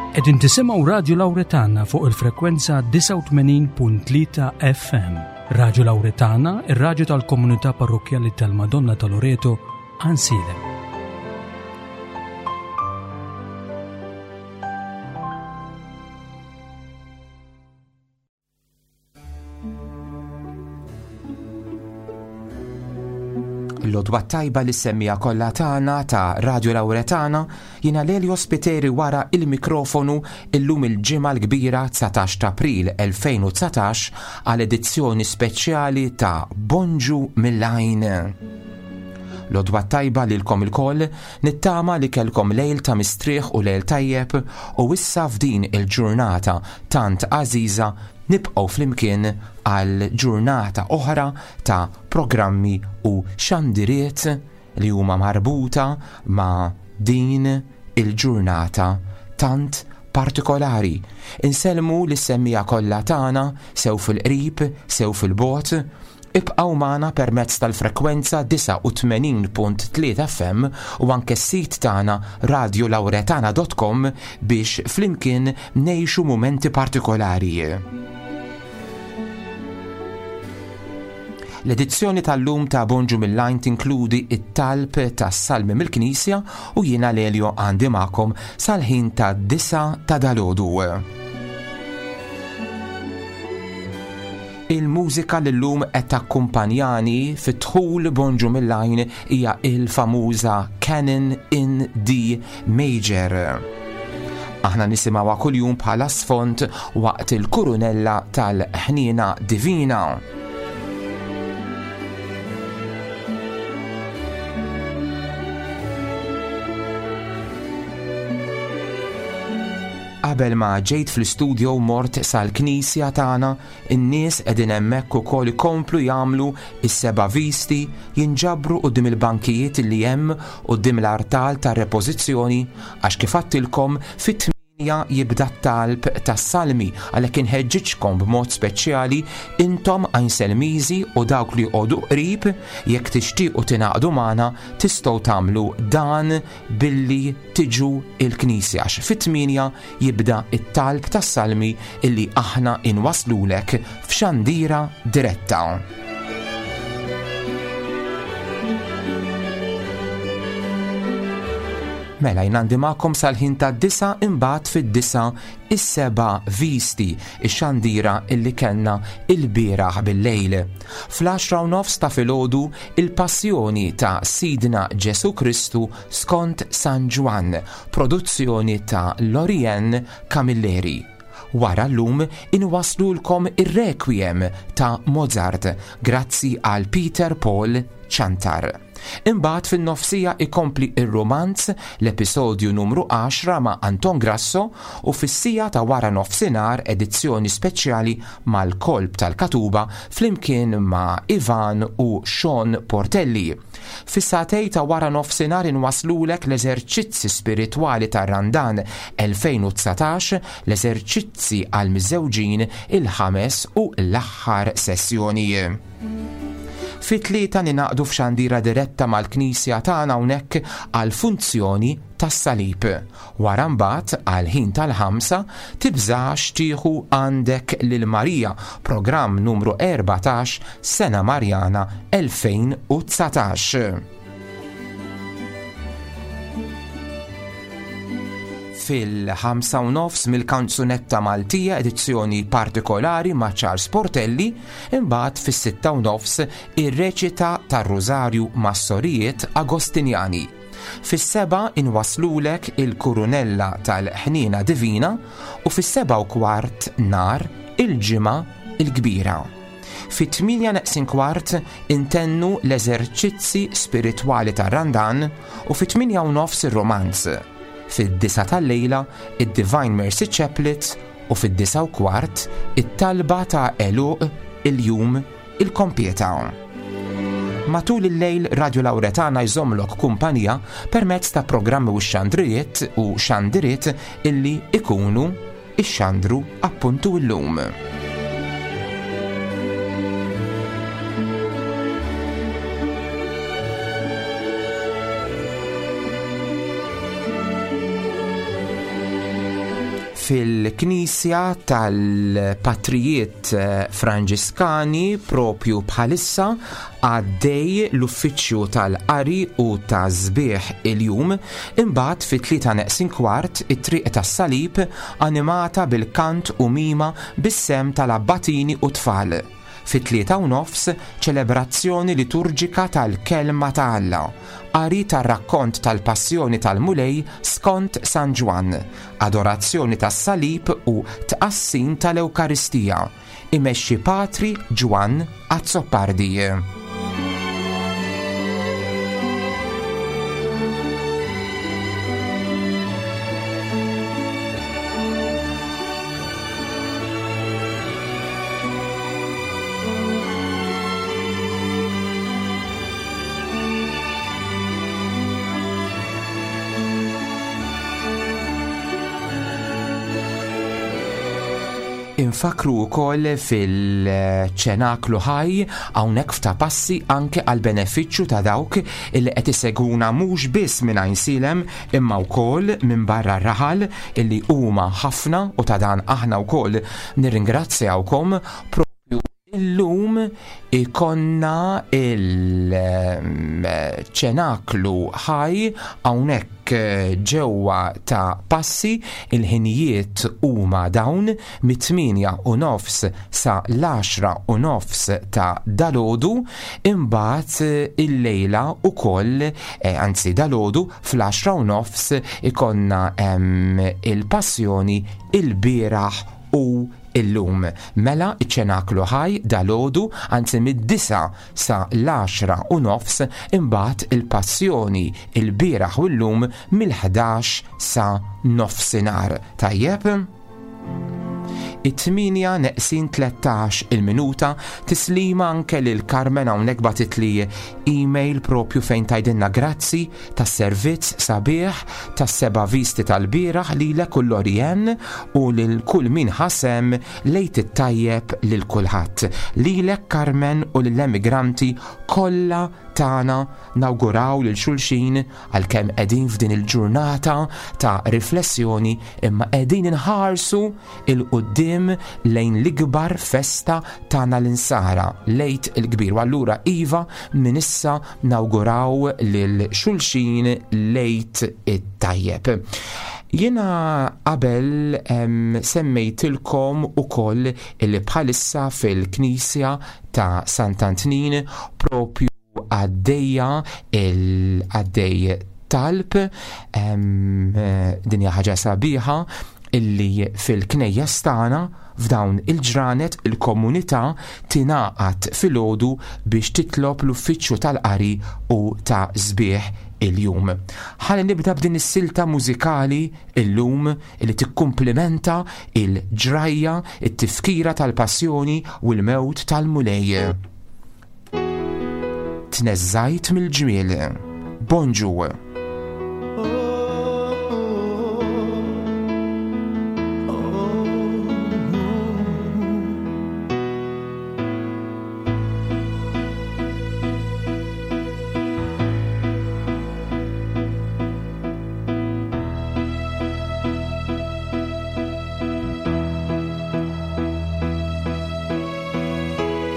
Qegħdin tisimgħu Radju Lawretana fuq il-frekwenza 89.3 FM. Radju Lawretana, ir-radju tal-komunità parrokkjali tal-Madonna ta' Loreto, Għansielem. L-odwa tajba li semmija kollha tagħna ta' Radio Lauretana jiena Lelio Spiteri wara il-mikrofonu illum il-ġimgħa l-kbira 19 ta' April 2019 għal edizzjoni speċjali ta' Bonġu mill-Għajn. L-odwa tajba lilkom ilkoll, nittama li kellkom lejl ta' mistrieħ u lejl tajjeb u issa f'din il-ġurnata tant għażiża nibqgħu flimkien għal ġurnata oħra ta' programmi u xandiriet li huma marbuta ma' din il-ġurnata tant partikolari. Insellmu lis-semmiegħa kollha tagħna sew fil-qrib, sew fil-bogħod, Ibqgħu magħna permezz tal-frekwenza 89.3 FM u anke s-sit tagħna radiolauretana.com biex flimkien ngħixu mumenti partikolari. L-edizzjoni tal-lum ta' Bonġu mill-Għajn tinkludi it-talb tas-salmi mill-Knisja u jiena Lelio għandi magħkom sal-ħin ta' disa ta' dalodu. Il-mużika li llum qed takkumpanjani fid-dħul Bonġu mill-Għajn hija il-famuża Canon in D Major. Aħna nisimgħuha kuljum bħala sfond waqt il-kurunella tal-ħniena divina. Qabel ma ġejt fl-istudio mort sal-knisja tagħna In-nies qegħdin hemmhekk ukoll ikomplu jagħmlu s-seba' visti, jinġabru quddiem il-bankijiet li hemm quddiem l-artal tar-repożizzjoni, għax kif għadtilkom, fit-tmienja jibda t-talb tas-salmi, għalhekk inħeġġiġkom b'mod speċjali intom Għajnselmiżi u dawk li joqogħdu qrib, jekk tixtiequ tingħaqdu magħna, tistgħu tagħmlu dan billi tiġu l-knisja, għax fit-tmienja jibda t-talb tas-salmi illi aħna inwasslulek f'xandira diretta. Mela jien għandi magħkom sal-ħin tad-disa imbagħad fid-disa is-seba' visti ix-xandira illi kellna il-bieraħ bil-lejl. Fl-10 u nofs ta' filgħodu il-passjoni ta' Sidna Ġesu Kristu skont San Ġwann Produzzjoni ta' Lorianne Camilleri. Wara llum inwasslulkom ir-Requiem ta' Mozart grazzi għal Peter Paul Ciantar. Imbagħad fin-nofsija ikompli r-rumanz l-episodju numru 10 ma' Anton Grasso u fis-siegħa ta' wara nofsinhar edizzjoni speċjali mal-Kolb tal-Katuba flimkien ma' Ivan u Sean Portelli. Fis-sagħtej ta' wara nofsinhar inwasslulek l-eżerċizzi spiritwali tar-Randan 2019, l-eżerċizzi għall-miżżewġin, il-ħames u l-aħħar sessjoni. Fit-tlieta ningħaqdu f'xandira diretta mal-knisja tagħna hawnhekk għall-funzjoni tas-salib. Wara mbagħad, għall-ħin tal-ħamsa, tibżax tieħu għandek lil Marija, programm numru 14, Sena Marjana 2019. Fil-ħamsa u nofs mill-kanzunetta Maltija edizzjoni partikolari ma' Charles Portelli, imbagħad fis-sitta u nofs ir-reċita tar-Rużarju mas-Sorijiet Agostinjani. Fis-sebgħa inwasslulek il-kurunella tal-Ħniena Divina u fis-sebgħa u kwart nhar il-Ġimgħa l-Kbira. Fit-tmienja neqsin kwart intennu l-eżerċizzi spiritwali tar-Randan u fit-tmienja u nofs ir-Romanz. Fid-disgħa tal-lejla id-Divine Mercy Chaplet u fid-disgħa u kwart it-talba ta' għeluq il-jum il-kompieta. Matul il-lejl Radio Lauretana jżommlok kumpanija permezz ta' programmi u xandrijiet u xandiriet illi ikunu ixxandru appuntu illum. Fil-Knisja tal-Patrijiet Franġiskani propju bħalissa għaddej l-uffiċċju tal-qari u ta' sbieħ il-jum, imbagħad fit-tlieta neqsin kwart it-Triq tas-Salib animata bil-kant u mima bis-sehem tal-abbatini u tfal. Fit-3:30, ċelebrazzjoni liturġika tal-Kelma ta' Alla, qari tar-rakkont tal-Passjoni tal-Mulej skont San Ġwann, adorazzjoni tas-Salib u tqassim tal-Ewkaristija, imexxi Patri Ġwann Azzopardi. Infakru wkoll fil-ċenaklu ħaj hawnhekk f'ta' passi anke għal benefiċċju ta' dawk illi qed isegwuna mhux biss minn Għajnsielem imma wkoll minn barra r-raħal illi huma ħafna u ta' dan aħna wkoll nirringrazzjawkom propju illum ikonna il-ċenaklu ħaj hawnhekk ġewwa ta' passi il-ħinijiet huma dawn mit-8 u nofs sa l-10 u nofs ta' dalodu imbagħad illejla ukoll eh, anzi dalodu fl-10 u nofs ikonna il-passjoni il-bieraħ u illum. Mela iċ-ċenaklu ħaj dalgħodu, anzi mid-disgħa sa l-għaxra u nofs, imbagħad il-passjoni il-bieraħ u llum mill-ħdax sa nofsinhar. Tajjeb? It-8 neqsin 13 il-minuta tislima anke lil Carmen hawnhekk bagħtitli email propju fejn tgħidilna grazzi tas-servizz sabiħ tas-seba' visti tal-bieraħ lilek u Lorien u lil kull min ħa sehem l-Għid it-tajjeb lil kulħadd. Lilek Carmen u lill-emigranti kollha tagħna nawguraw lil xulxin għalkemm qegħdin f'din il-ġurnata ta' riflessjoni imma qegħdin inħarsu 'il quddiem lejn l-ikbar festa tagħna l-insara, l-Għid il-Kbir. U allura iva minn issa nawguraw lil xulxin l-Għid it-tajjeb. Jiena qabel semmejtilkom ukoll li bħalissa fil-Knisja ta' Sant'Antnin propju għaddejja il-għaddej talb din hija ħaġa sabiħa illi fil-knejjes tagħna f'dawn il-ġranet il-komunità tingħaqad filgħodu biex titlob l-uffiċċju tal-qari u ta' sbieħ il-jum. Ħalli nibda b'din is-silta mużikali illum li tikkumplimenta il-ġrajja, it-tifkira tal-passjoni u l-mewt tal-Mulej. Tneżżajt mill-ġmiel. Bonġu.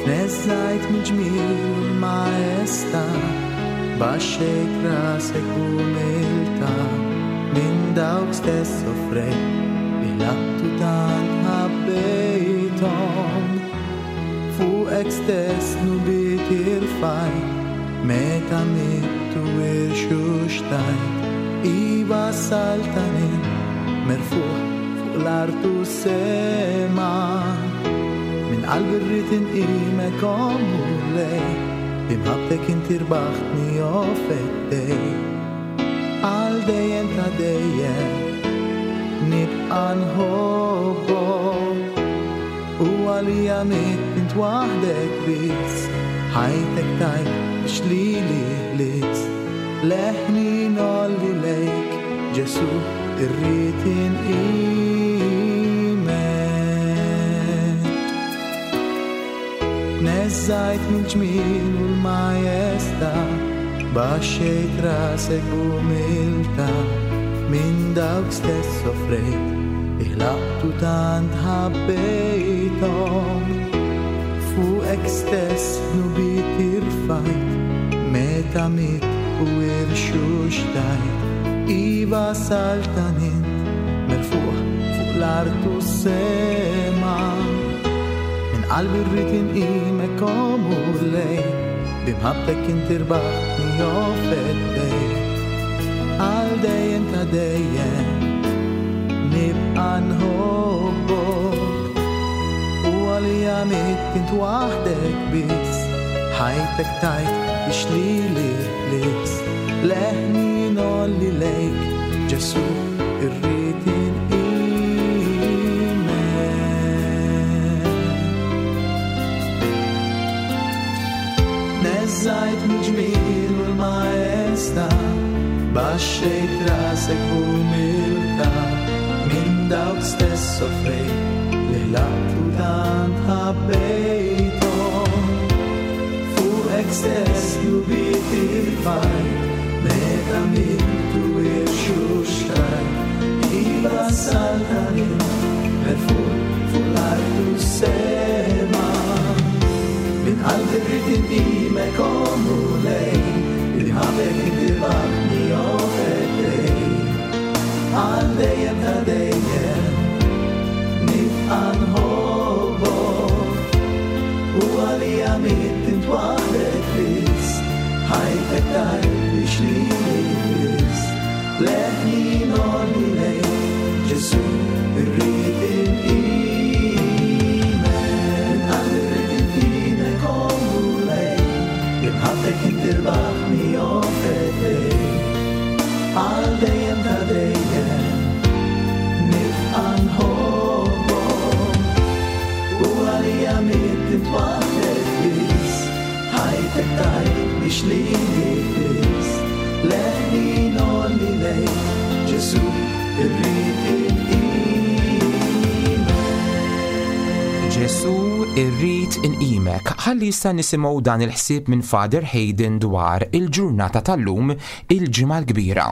Tneżżajt mill-ġmiel u l-maestà, baxxejt rasek b'umiltà, minn dawk stess soffrejt li ħlabtu tant ħabbejthom. Fuqek stess dnubiet irfajt, meta mitt u irxuxtajt, iva saltan int merfugħ fuq l-art u s-sema. Minn qalbi rrid inqimek o Mulej, b'imħabbtek inti rbaħtni o feddej. Għal dejjem ta' dejjem nibqa' nħobbok, u għalija mitt int waħdek biss, ħajtek tajt biex lili ħlist. Leħni ngħolli lejk, Ġesù, irrid inqimek. Tneżżajt mill-ġmiel u l-majestà, baxxejt rasek b'umiltà, minn dawk stess soffrejt. Iħlaqtu tant ħabbejthom. Fuqek stess dnubiet irfajt, meta mitt u irxuxtajt. Iva saltan int, merfugħ fuq l-art u s-sema. Minn qalbi rrid inqimek o Mulej, b'imħabbtek inti rbaħtni o feddej. Għal dejjem ta' dejjem nibqa' nħobbok u għalija mitt int waħdek biss ħajtek tajt biex lili ħlist leħni ngħolli lejk Ġesu irrid inqimek. Neżżajt mill-ġmiel u l-maestà, baxxejt rasek b'umiltà, minn dawk stess soffrejt li ħlaqt u tant ħabbejthom. Fuqek stess dnubiet irfajt, meta mitt u irxuxtajt, iva saltan int, merfugħ fuq l-art u s-sema. Minn qalbi rrid inqimek o Mulej, b'imħabbtek inti rbaħtni o feddej. Għal dejjem ta' dejjem nibqa' nħobbok, u għalija mitt int waħdek biss, ħajtek tajt biex lili ħlist. Leħni ngħolli lejk, Ġesu irrid inqimek. Minn qalbi rrid inqimek o Mulej, b'imħabbtek inti rbaħtni o feddej. Għal dejjem ta' dejjem nibqa' nħobbok, u għalija mitt int waħdek biss, ħajtek tajt biex lili ħlist. Leħni ngħolli lejk, Ġesu irrid inqimek. Ġesu irrid inqimek. Ħalli issa nisimgħu dan il-ħsieb minn Father Hayden dwar il-ġurnata tal-lum, il-Ġimgħa l-Kbira.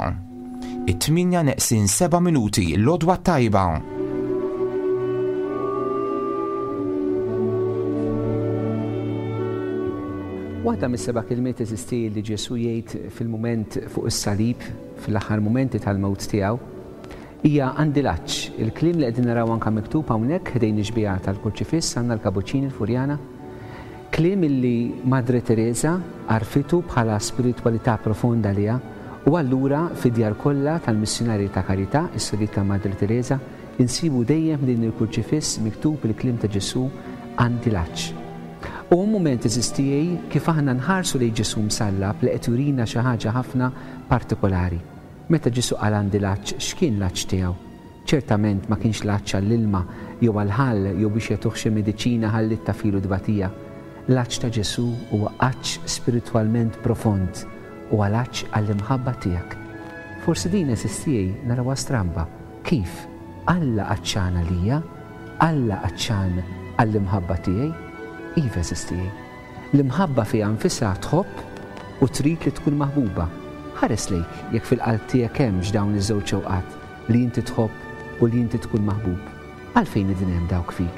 It-tmienja neqsin seba' minuti, l-għodwa t-tajba. Waħda mis-seba' kelmiet eżisti li Ġesù jgħid fil-mument fuq is-salib, fl-aħħar mumenti tal-mewt tiegħu, hija għandi l-għatx. Il-kliem li qegħdin naraw anke miktub hawnhekk ħdejn ix-xbieha tal-Kurċifiss għandna l-Kabuċċini l-Furjana. Kliem illi Madre Teresa għarfitu bħala spiritwalità profonda għaliha u allura fid-djar kollha tal-Missjunarji ta' Karità, is-Sorijiet ta' Madre Teresa, insibu dejjem ħdejn il-Kurċifiss miktub il-kliem ta' Ġesù għandi l-għatx. Huwa mument għeżież tiegħi kif aħna nħarsu lejn Ġesù msallab li qed jurina xi ħaġa ħafna partikolari. Meta Ġesù qal għandi l-għatx x'kien l-għatx tiegħu? Ċertament ma kienx l-għatx għall-ilma jew għall-ħall jew biex jagħtuh xi mediċina ħalli ttafilu t-tbatija. L-għatx ta' Ġesù huwa għatx spiritwalment profond, huwa l-għatx għall-imħabba tiegħek. Forsi din għeżież tiegħi narawha stramba. Kif? Alla għatxan għalija? Alla għatxan għall-imħabba tiegħi? Iva għeżież tiegħi. L-imħabba fiha nfisha tħobb u trid li tkun maħbuba. Ħares lejk jekk fil-qalb tiegħek hemmx dawn iż-żewġ xewqat, li inti tħobb u li inti tkun maħbub. Għalfejn qegħdin hemm dawk fik?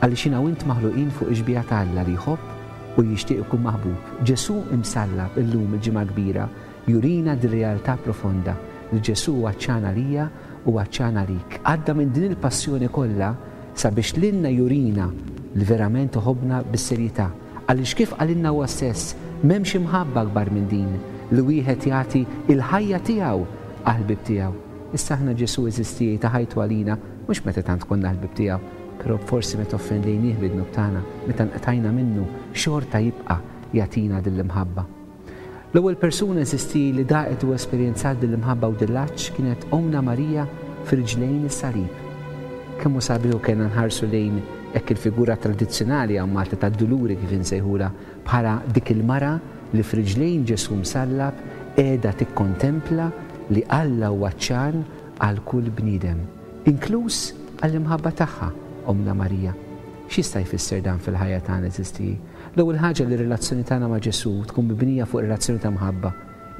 Għaliex jiena u int maħluqin fuq ix-xbieha ta' Alla li jħobb u li jixtieq ikun maħbub. Ġesù imsallab illum il-Ġimgħa l-Kbira jurina dir-realtà profonda li Ġesù hu għatxan għalija u għatxan għalik. Għadda minn din il-passjoni kollha sabiex lilna jurina li verament iħobbna bis-serjetà. Għaliex kif qalilna huwa stess, m'hemmx imħabba akbar minn din, li wieħed jagħti l-ħajja tiegħu għall-ħbieb tiegħu. Issa aħna Ġesù għeżież tiegħi ta ħajtu għalina, mhux meta tant konna l-ħbieb tiegħu, però forsi meta offendejnieh bid-dnub tagħna, meta nqtajna minnu, xorta jibqa' jagħtina din l-imħabba. L-ewwel persuna għeżież tiegħi li daqet u esperjenzat din l-imħabba u din l-għatx kienet Ommna Marija f'riġlejn is-salib. Kemm hu sabiħ u kellna nħarsu lejn hekk il-figura tradizzjonali hawn Malta tad-Duluri kif insejħulha bħala dik il-mara li f'riġlejn Ġesù msallab qiegħda tikkontempla li Alla huwa għatxan għal kull bniedem, inkluż għall-imħabba tagħha, Ommna Marija. X'jista' jfisser dan fil-ħajja tagħna għeżież tiegħi? L-ewwel ħaġa li r-relazzjoni tagħna ma' Ġesù tkun mibnija fuq relazzjoni ta' mħabba.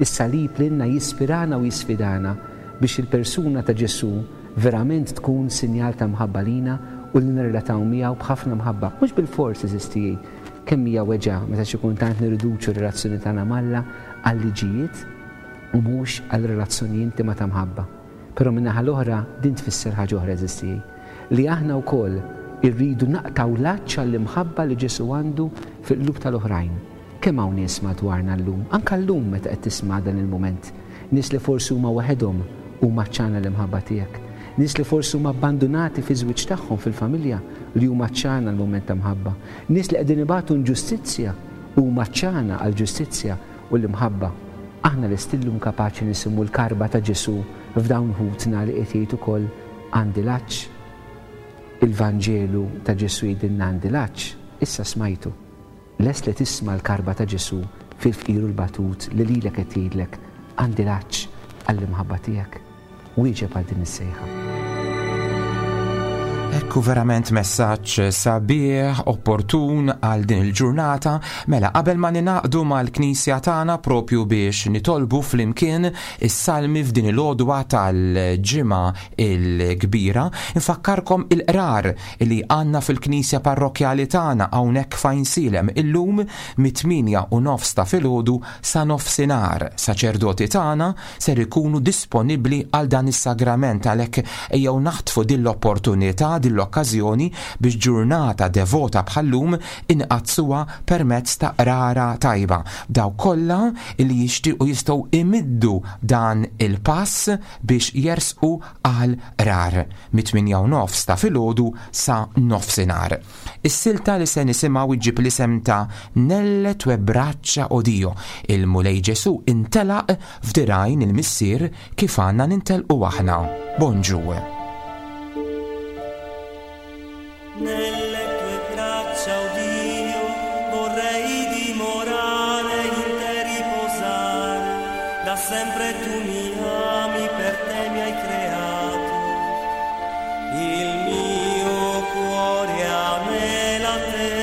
Is-salib lilna jispirana u jisfidana biex il-persuna ta' Ġesù verament tkun sinjal ta' mħabba lina u li nirrelataw miegħu b'ħafna mħabba. Mhux bilfors, għeżież tiegħi, kemm hija weġgħa meta xi kultant nirriduċu r-relazzjoni tagħna m'Alla għal liġijiet u mhux għal relazzjoni intima ta' mħabba. Però min-naħa l-oħra din tfisser ħaġa oħra għeżież tiegħi, li aħna wkoll irridu naqtgħu l-għatx għall-imħabba li Ġesù għandu fil-qlub tal-oħrajn. Kemm hawn nies madwarna llum, anke llum meta qed tisma' dan il-mument, nies li forsi huma waħedhom u huma għatxana l-imħabba tiegħek, nies li forsi huma abbandunati fiż-żwieġ tagħhom, fil-familja, li huma għatxana għal mument ta' mħabba, nies li qegħdin ibatu inġustizzja u huma għatxana għall-ġustizzja u l-imħabba. Aħna lesti llum kapaċi nisimgħu l-karba ta' Ġesù f'dawn ħutna li qed jgħid ukoll għandi l-għatx? Il-Vanġelu ta' Ġesù jgħidilna għandi l-għatx, issa smajtu. Lest li tisma' l-karba ta' Ġesù fil-fqir u l-batut li lilek qed jgħidlek, Għandi l-għatx għall-imħabba tiegħek? Wieġeb għal din is-sejħa. Ekku verament messaġġ sabiħ, opportun għal din il-ġurnata, mela qabel ma ninaqdu mal-Knisja tagħna propju biex nitolbu flimkien is-salmi f'din il-għodwa tal-ġimgħa il-kbira, infakkarkom il-qrar li għandna fil-Knisja Parrokkjali tagħna hawnhekk f'Għajnsielem illum mit-8 u nofs ta' filgħodu sa nofsinhar. Saċerdoti tagħna ser ikunu disponibbli għal dan is-sagrament għalhekk ejjew naħtfu din l-opportunità, din l-okkażjoni biex ġurnata devota bħal-lum inqaddsuha permezz ta' qrara tajba. Dawk kollha li jixtiequ jistgħu imiddu dan il-pass biex jersqu għal qrar mit-8 u nofs ta' filgħodu sa nofsinhar. Is-silta li se nisimgħu ġġib l-isem ta' Nelle tue braccia o Dio, il-Mulej Ġesù intelaq f'dirgħajn il-Missier kif għandna nintelqu aħna. Bonġu. Nelle tue braccia, o Dio, vorrei dimorare, in te riposare. Da sempre tu mi ami, per te mi hai creato. Il mio cuore anela te,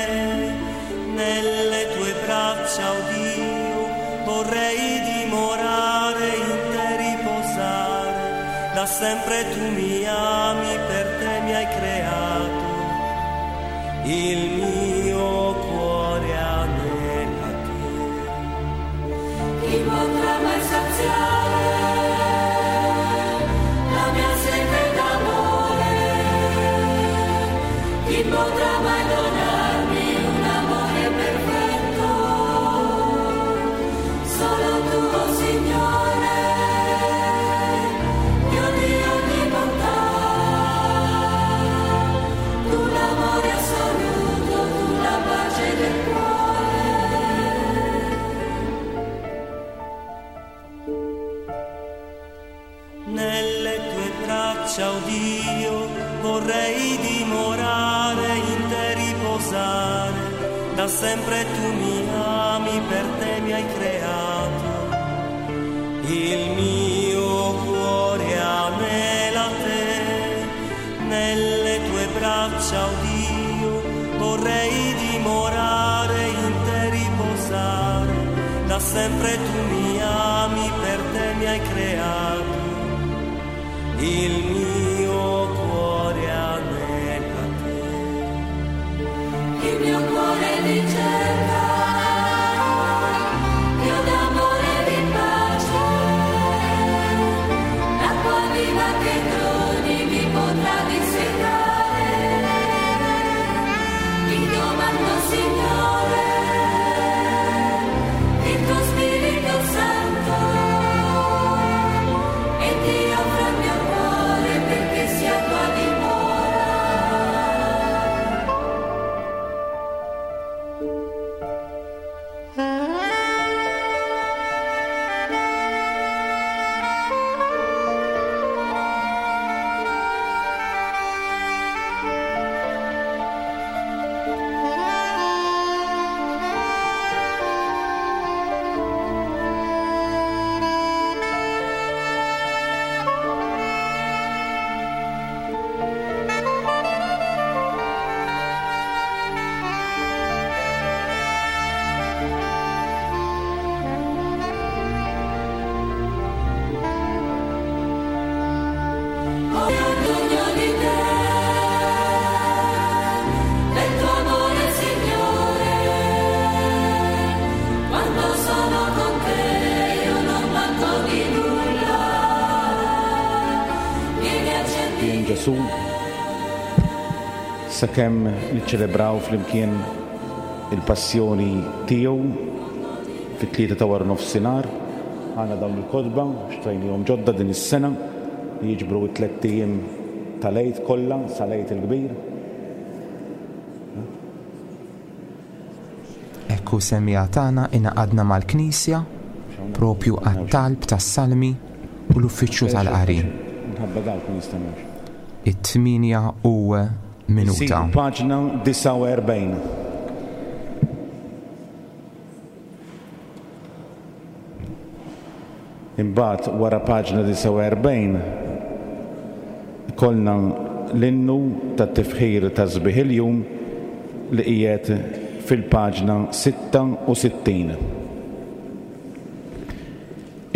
nelle tue braccia, o Dio, vorrei dimorare, in te riposare. Da sempre tu mi ami, per te mi hai creato. Il mio cuore anela te. Chi potrà mai saziare la mia sete d'amore? Chi potrà mai donarmi un amore perfetto? Solo tu, oh Signore, Dio di ogni bontà, tu l'amore assoluto, tu la pace del cuore. Nelle tue braccia, o Dio, vorrei dimorare, in te riposare. Da sempre tu mi ami, per te mi hai creato. Il mio cuore anela te, nelle tue braccia, o Dio, vorrei dimorare, in te riposare. Da sempre tu mi ami, per te mi hai creato. Il mio cuore anela te. Il mio cuore ricerca, Dio d'amore e di pace, l'acqua viva che doni mi potrà dissetare. Ti domando, Signore, il tuo Spirito Santo, e ti offro il mio cuore Ġesù sakemm niċċelebraw flimkien il-passjoni tiegħu fit-tlieta ta' wara nofsinhar. Għandna dawn il-kotba xtrajnihom ġodda din is-sena li jiġbru t-tlett ijiem tal-Għid kollha sal-Għid il-Kbir. Hekk hu semmiegħa tagħna ingħaqadna mal-Knisja propju għat-talb tas-Salmi u l-Uffiċċju tal-Qari. It-tmienja u minuta. Paġna 49. Imbagħad wara paġna 49 ikollna l-innu tat-tifħir ta' sbieħ il-jum li qiegħed fil-paġna 66.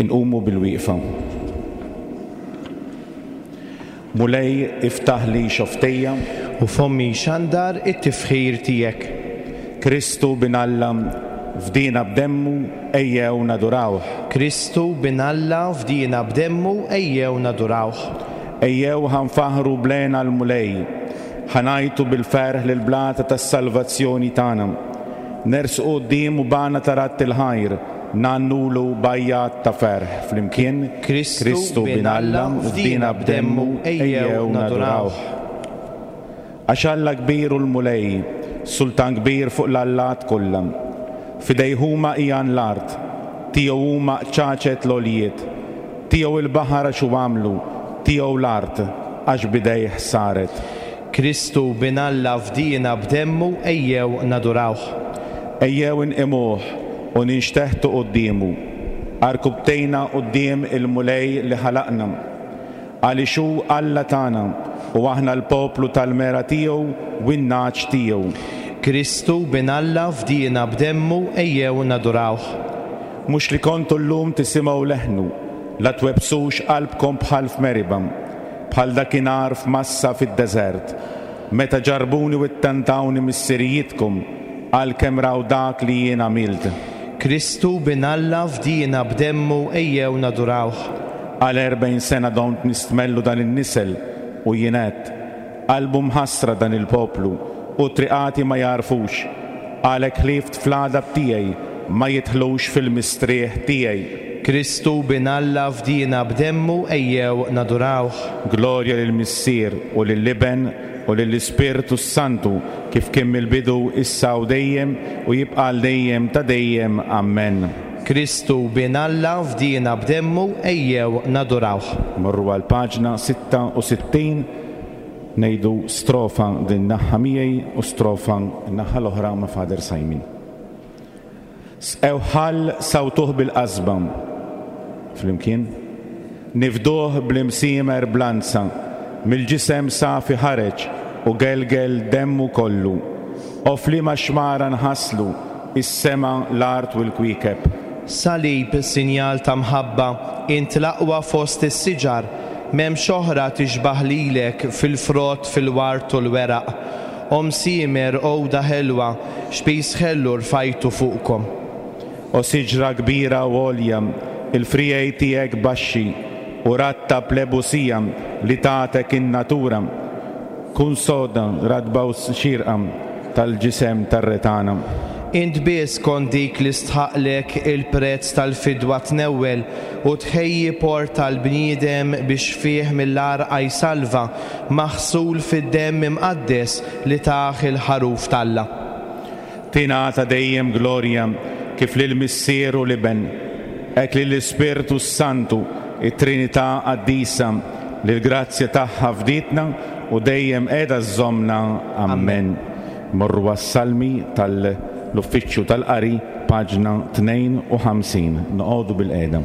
Inqumu bilwieqfa. Mulej iftaħli xofftejja. U fommi jxandar it-tifħir tiegħek. Kristu Bin Alla fdiena b'demmu ejjew nadurawh. Kristu Bin Alla fdiena b'demmu ejjew nadurawh. Ejjew ħa nfaħħru b'lehna l-Mulej, ħa ngħajtu bil-ferħ lill-blata tas-salvazzjoni tagħna. Nersqu quddiemu b'għana ta' radd il-ħajr, Ngħannulu b'għajjat ta' ferħ flimkien, Kristu Bin Alla fdiena b'demmu, ejjew nadurawh. Għax Alla kbir hu l-Mulej, Sultan kbir fuq l-allat kollha. F'idejh huma qigħan l-art, tiegħu huma qċaċet l-għoljiet. Tiegħu l-baħar għax hu għamlu, tiegħu l-art, għax b'idejh saret. Kristu Bin Alla fdiena b'demmu ejjew nadurawh. Ejjew inqimuh u ninxteħtu quddiemu, għarkubbtejna quddiem il-Mulej li ħalaqna. Għaliex hu Alla tagħna u aħna l-poplu tal-mergħa tiegħu u n-nagħaġ tiegħu. Kristu Bin Alla fdiena b'demmu ejjew nadurawh. Mhux li kontu llum tisimgħu leħnu, la twebbsux qalbkom bħal f'Meriba. Bħal dakinhar f'Massa fid-deżert, meta ġarrbuni u ttantawni missirijietkom, għalkemm raw dak li jien għamilt. Kristu, Bin Alla, fdiena b'demmu, ejjew nadurawh. Għal 40 sena domt nistmellu dan in-nisel, u jien għedt, Qalbu mħassra dan il-poplu, u triqati ma jagħrfux. Għalhekk ħlift fl-għadab tiegħi, ma jidħlux fil-mistrieħ tiegħi. Kristu, Bin Alla, fdiena b'demmu, ejjew nadurawh. Glorja lill-Missier, u lill-Iben, u lill-Ispirtu s-Santu, kif kien mill-bidu, issa u dejjem, u jibqa' għal dejjem ta' dejjem. Ammen. Kristu, Bin Alla, fdiena b'demmu, ejjew nadurawh. Morru għall-paġna 66, ngħidu strofa din naħa miegħi u strofa n-naħa l-oħra ma' Father Simon. Sqew ħall sawtuh bil-qasba. Flimkien. Nifduh bl-imsiemer b'lanza. Mill-ġisem safi ħareġ u gelgel demmu kollu. O f'liema xmara nħasslu is-sema, l-art u l-kwiekeb. Salib, sinjal ta' mħabba, int l-aqwa fost is-siġar, m'hemmx oħra tixbah lilek fil-frott, fil-ward u l-weraq. O msiemer, għuda ħelwa, x'piż ħelu rfajtu fuqkom. O siġra kbira u għolja, il-friegħi tiegħek baxxi, u ratta bl-ebusija li tatek in-natura, kun soda, ratba u xierqa tal-ġisem tar-Re tagħna. Int biss kont dik li stħaqqlek il-prezz tal-fidwa tnewwel u tħejji port għall-bniedem biex fih mill-għarqa jsalva, maħsul fid-demm imqaddes li tah il-Ħaruf t'Alla. Tingħata dejjem glorja kif lill-Missier u l-Iben, hekk lill-Ispirtu s-Santu, it-Trinità Qaddisa, li l-grazzja tagħha fdietna u dejjem qiegħda żżommna. Ammen. Morru għas-Salmi tal-Uffiċċju tal-Qari, paġna 52. Noqogħdu bilqiegħda.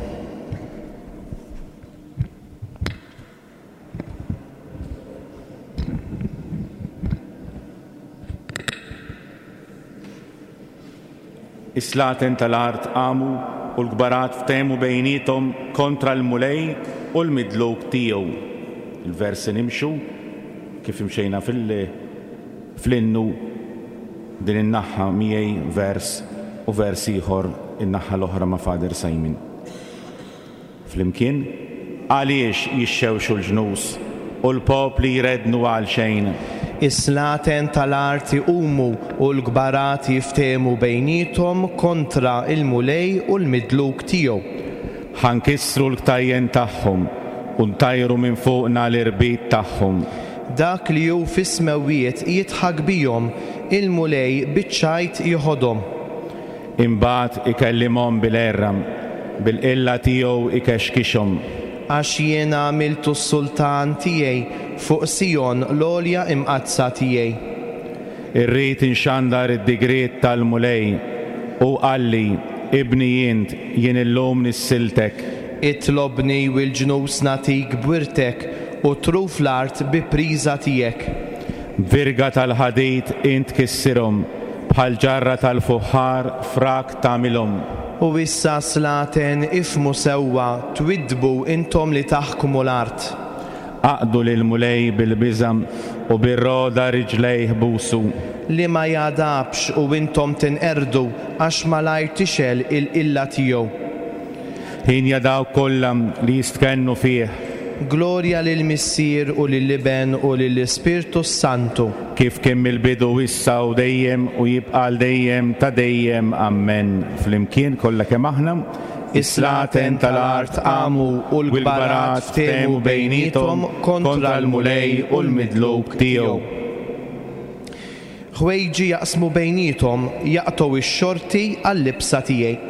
Is-slaten tal-art qamu u l-kbarat ftehmu bejniethom kontra l-Mulej u l-midluk tiegħu. Il-versi nimxu kif imxejna fl-innu din in-naħa miegħi vers u vers ieħor in-naħa l-oħra ma' Father Simon. Flimkien, għaliex jixxewxu l-ġnus? u l-popli jreddnu għalxejn. Is-slaten tal-art iqumu u l-kbarat jiftehmu bejniethom kontra l-Mulej u l-midluk tiegħu. Ħa nkissru l-ktajjen tagħhom u ntajru minn fuqna l-irbit tagħhom. Dak li hu fis-smewwiet jidħak bihom, il-Mulej biċ-ċajt jiħodhom. Imbagħad ikellimhom bil-għerra, bil-qilla tiegħu jkexkixhom. Għax jien għamiltu s-sultan tiegħi fuq Sijon l-għolja imqaddsa tiegħi. Irrid inxandar id-digriet tal-Mulej. Hu qalli, Ibni int, jien illum nissiltek. Itlobni u l-ġnus nagħtik b'wirtek, u truf l-art bi priża tiegħek. B'virga tal-ħadid int tkissirhom, bħal ġarra tal-fuħħar frak tagħmilhom. U issa, slaten, ifhmu sewwa, twiddbu intom li taħkmu l-art. Aqdu lill-Mulej bil-biża' u bir-rogħda riġlejh busu. Li ma jagħdabx u intom tinqerdu, għax malajr tixgħel il-qilla tiegħu. Hienja dawk kollha li jistkennu fih. Glorja lill-Missier u lill-Iben u lill-Ispirtu s-Santu. Kif kien mill-bidu issa u dejjem u jibqa' għal dejjem ta' dejjem. Ammen. Flimkien kollha kemm aħna, is-slaten tal-art qamu u l-kbarat ftehmu bejniethom kontra l-Mulej u l-midluk tiegħu. Ħwejġi jaqsmu bejniethom, jaqtgħu x-xorti għal-libsa tiegħi.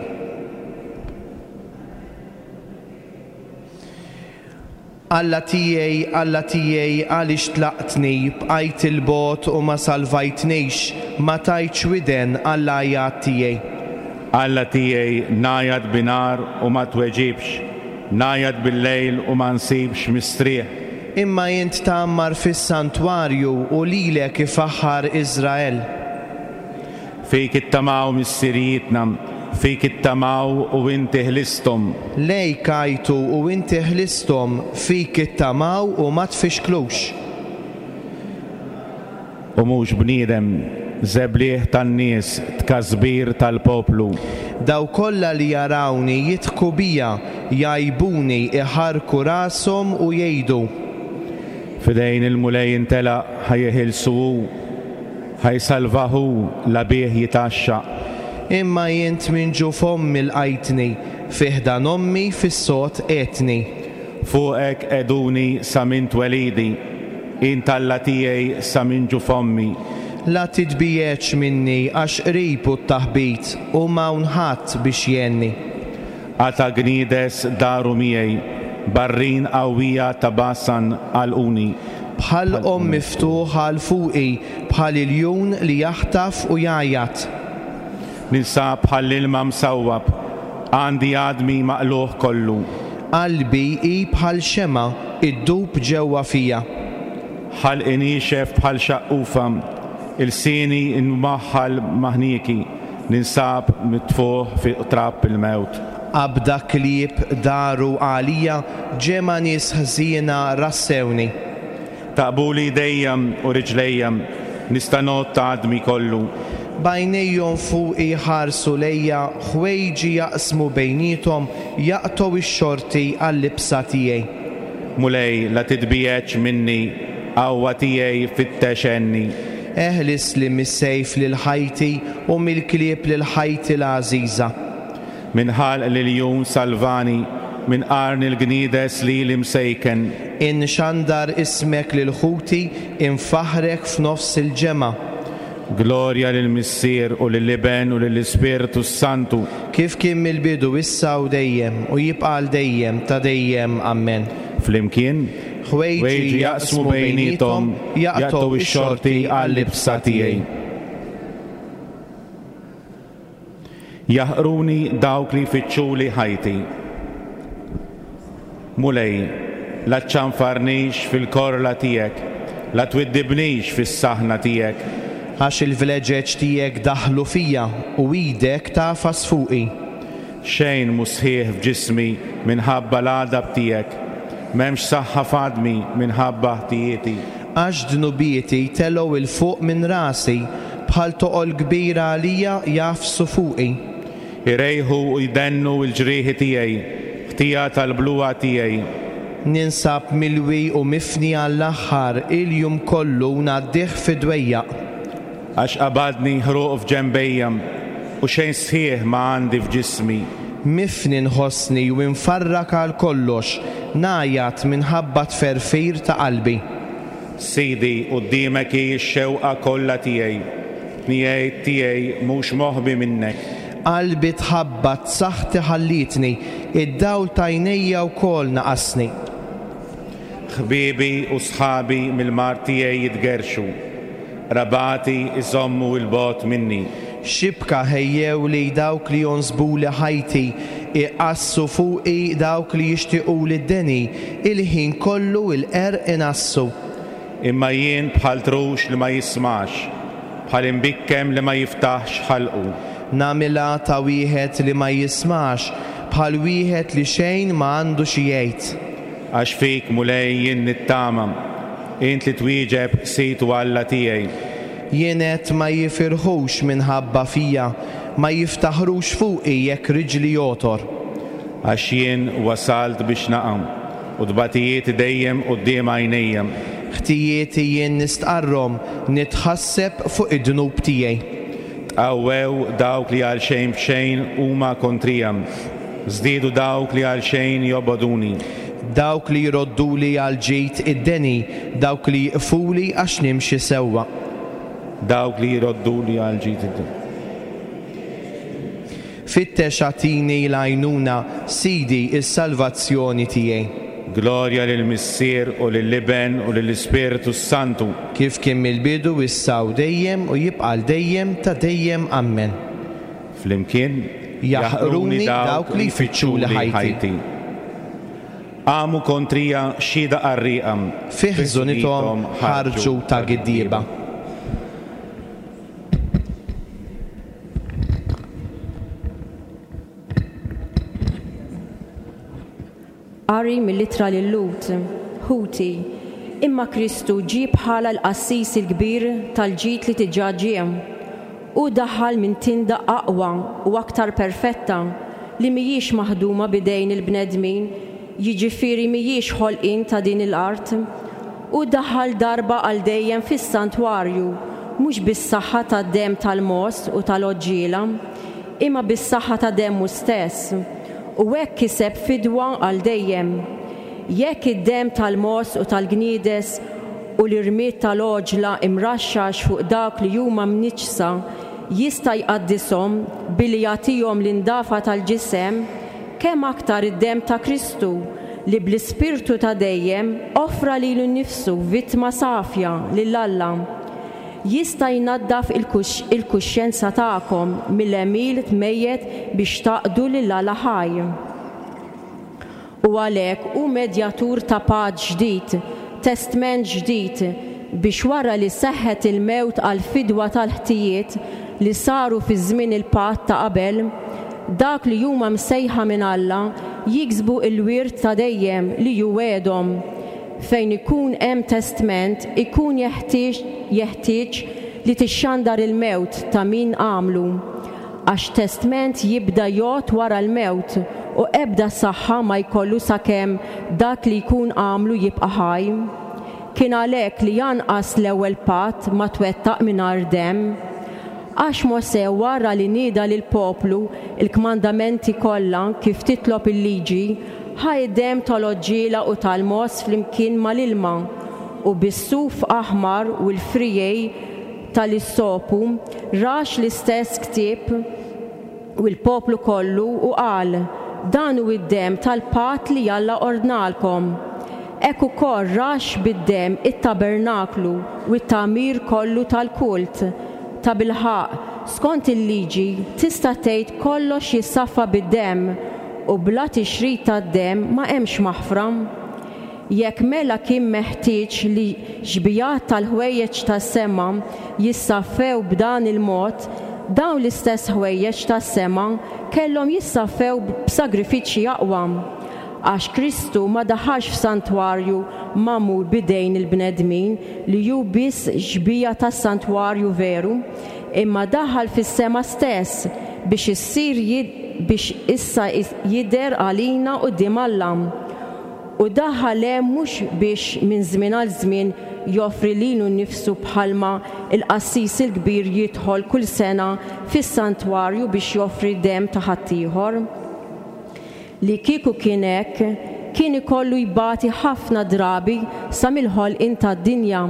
Alla tiegħi, Alla tiegħi, għaliex tlaqtni, bqajt 'il bogħod u ma salvajtnix, ma tajtx widen għall-għajat tiegħi? Alla tiegħi, ngħajat bi nhar u ma tweġibx, ngħajat bil-lejl u ma nsibx mistrieħ. Imma int tgħammar fis-santwarju u lilek ifaħħar Iżrael. Fik ittamaw missirijietna, fik ittamaw u inti ħlisthom. Lejk għajtu u inti ħlisthom, fik ittamaw u ma tfixklux. U mhux bniedem, żebliħ tan-nies, tkasbir tal-poplu. Dawk kollha li jarawni jidħku bija, jgħajbuni, iħarrku rashom u jgħidu. F'idejn il-Mulej intelaq, ħa jeħilsu hu. Ħa jsalvah hu, la bih jitgħaxxaq. Imma int minn ġuf ommi lqajtni, fi ħdan ommi fis-sod qegħdtni. Fuqek qegħduni sa minn twelidi, int Alla tiegħi sa minn ġuf ommi. La titbiegħedx minni għax qrib hu t-taħbit u m'hawn ħadd biex jgħinni. Qata' gniedes daru miegħi, barrin qawwija ta' Basan għalquni. B'ħalqhom miftuħ għal fuqi, bħal iljun li jaħtaf u jgħajjat. Ninsab bħall-ilma msawwab, għandi għadmi maqlugħ kollu. Qalbi hi bħal xemgħa, iddub ġewwa fija. Ħalqi niexef bħal xaqqufa, ilsieni nwaħħal ma' ħnieki, ninsab mitfugħ fi qtrab il-mewt. Qabda klieb daru għalija, ġemgħa nies ħżiena rassewni. Taqbuli jdejja u riġlejja, nista' ngħodd għadmi kollu. B'għajnejhom fuqi jħarsu lejja, ħwejġi jaqsmu bejniethom, jaqtgħu x-xorti għal-libsa tiegħi. Mulej, la titbiegħedx minni, qawwa tiegħi fittex għenni. Eħlisli mis-sejf lil ħajti u mill-klieb lil ħajti l-għażiża. Minn ħalq l-iljun salvani, minn qarn il-gniedes lili msejken. Inxandar ismek lil ħuti, infaħħrek f'nofs il-ġemgħa. Glorja lill-Missier u lill-Iben u lill-Ispirtu s-Santu. Kif kien mill-bidu, issa u dejjem, u jibqa' għal dejjem ta' dejjem. Ammen. Flimkien, ħwejġi jaqsmu bejniethom, jaqtgħu x-xorti għal-libsa tiegħi. Jaħqruni dawk li jfittxuli ħajti. Mulej, la ċċanfarnix fil-korla tiegħek, la twiddibnix fis-saħna tiegħek. Għax il-vleġeġ tiegħek daħlu fija, u idek tagħfas fuqi. Xejn mhu sħiħ f'ġismi minħabba l-għadab tiegħek, m'hemmx saħħa f'għadmi minħabba ħtijieti. Għax dnubieti telgħu 'l fuq minn rasi, bħal toqol kbir għalija jagħfsu fuqi. Irejħu u jdennu l-ġrieħi tiegħi, ħtija tal-bluha tiegħi. Ninsab milwi u mifni għall-aħħar, il-jum kollu ngħaddih fi dwejjaq. Għax qabadni ħruq f'ġenbejja, u xejn sħiħ ma għandi f'ġismi. Mifni nħossni u imfarrak għal kollox, ngħajjat minħabba t-tferfir ta' qalbi. Sidi, quddiemek hi x-xewqa kollha tiegħi, tniegħid tiegħi mhux moħbi minnek. Qalbi tħabbat, saħħti ħallietni, id-dawl t'għajnejja wkoll naqasni. Ħbiebi u sħabi mill-mard tiegħi jitgerrxu, qrabati jżommu 'l bogħod minni. Xibka ħejjewli dawk li jonsbuli ħajti, iqassu fuqi dawk li jixtiquli d-deni, il-ħin kollu l-qerq inassu. Imma jien bħal trux li ma jismax, bħal imbikkem li ma jiftaħx ħalqu. Nagħmilha ta' wieħed li ma jismax, bħal wieħed li xejn ma għandu xi jgħid. Għax fik, Mulej, jien nittama, int li twieġeb, Sid u Alla tiegħi. Jien għedt ma jifirħux minħabba fija, ma jiftaħrux fuqi jekk riġli jogħtor. Għax jien wasalt biex naqa', u tbatijieti dejjem quddiem għajnejja. Ħtijieti jien nistqarrhom, nitħasseb fuq id-dnub tiegħi. Tqawwew dawk li għal xejn b'xejn huma kontrija, żdiedu dawk li għalxejn jobogħduni. Dawk li jrodduli għall-ġid id-deni, dawk li jiqfuli għax nimxi sewwa. Dawk li jrodduli għall-ġid id-deni. Fittex agħtini l-għajnuna, Sidi, is-salvazzjoni tiegħi. Glorja lill-Missier u lill-Iben u lill-Ispirtu s-Santu. Kif kien mill-bidu, issa u dejjem, u jibqa' għal dejjem ta' dejjem. Ammen. Flimkien Jaħqruni dawk li jfittxuli ħajti. Qamu kontrija xhieda qarrieqa. Fi ħżunithom ħarġu ta' giddieba. Qari mill-Ittra lil-Lhud, Ħuti, imma Kristu ġie bħala l-qassis il-kbir tal-ġid li diġà ġie. Hu daħal minn tinda aqwa u aktar perfetta li mhijiex maħduma b'idejn il-bnedmin, jiġifieri mhijiex ħolqien ta' din l-art. Hu daħal darba għal dejjem fis-santwarju, mhux bis-saħħa tad-demm tal-mogħoż u tal-għoġġiela, imma bis-saħħa ta' demmu stess, u hekk kiseb fidwa għal dejjem. Jekk id-demm tal-mogħoż u tal-gniedes u l-irmied tal-għoġla imraxxax fuq dawk li huma mniġġsa jista' jqaddishom billi jagħtihom l-indafa tal-ġisem, kemm aktar id-demm ta' Kristu, li bl-Ispirtu ta' dejjem offra lilu nnifsu vittma safja lil Alla, Jista' jnaddaf il-kuxjenza tagħkom mill-għemil mejjet biex taqdu lil Alla ħaj. U għalhekk hu medjatur ta' patt ġdid, testment ġdid, biex wara li seħħet il-mewt għall-fidwa tal-ħtijiet li saru fi żmien il-patt ta' qabel, dak li huma msejħa minn Alla jiksbu l-wirt ta' dejjem li hu wegħedhom. Fejn ikun hemm testment ikun jeħtieġ jeħtieġ li tixxandar il-mewt ta' min għamlu. Għax testment jibda jgħodd wara l-mewt u ebda saħħa ma jkollu sakemm dak li jkun għamlu jibqa' ħaj. Kien għalhekk li anqas l-ewwel patt ma twettaq mingħajr demm. Għax Mosè wara li nieda lill-poplu l-kmandamenti kollha kif titlob il-liġi, Ħa id-demm tal-għoġġiela u tal-mogħoż flimkien mal-ilma, u bis-suf aħmar u l-friegħi tal-issopu rax l-istess ktieb u l-poplu kollu u qal, Dan hu d-demm tal-patt li Alla ordnalkom. Hekk ukoll rax bid-demm it-tabernaklu u t-tagħmir kollu tal-kult. Tabilħaqq, skont il-Liġi, tista' tgħid kollox jissaffa bid-demm, u bla tixrid tad-demm ma hemmx maħfra. Jekk mela kien meħtieġ li xbigħat tal-ħwejjeġ tas-sema jissaffew b'dan il-mod, dawn l-istess ħwejjeġ tas-sema kellhom jissaffew b'sagrifiċċji aqwa. Għax Kristu ma daħalx f'santwarju magħmul b'idejn il-bnedmin li hu biss xbieha tas-santwarju veru, imma daħal fis-sema stess biex issir biex issa jidher għalina quddiem Alla. U daħal hemm mhux biex minn żmien għal żmien joffri lilu nnifsu bħalma l-qassis il-kbir jidħol kull sena fis-santwarju biex joffri demm ta' ħaddieħor. Li kieku kien hekk, kien ikollu jbati ħafna drabi sa mill-ħolqien tad-dinja.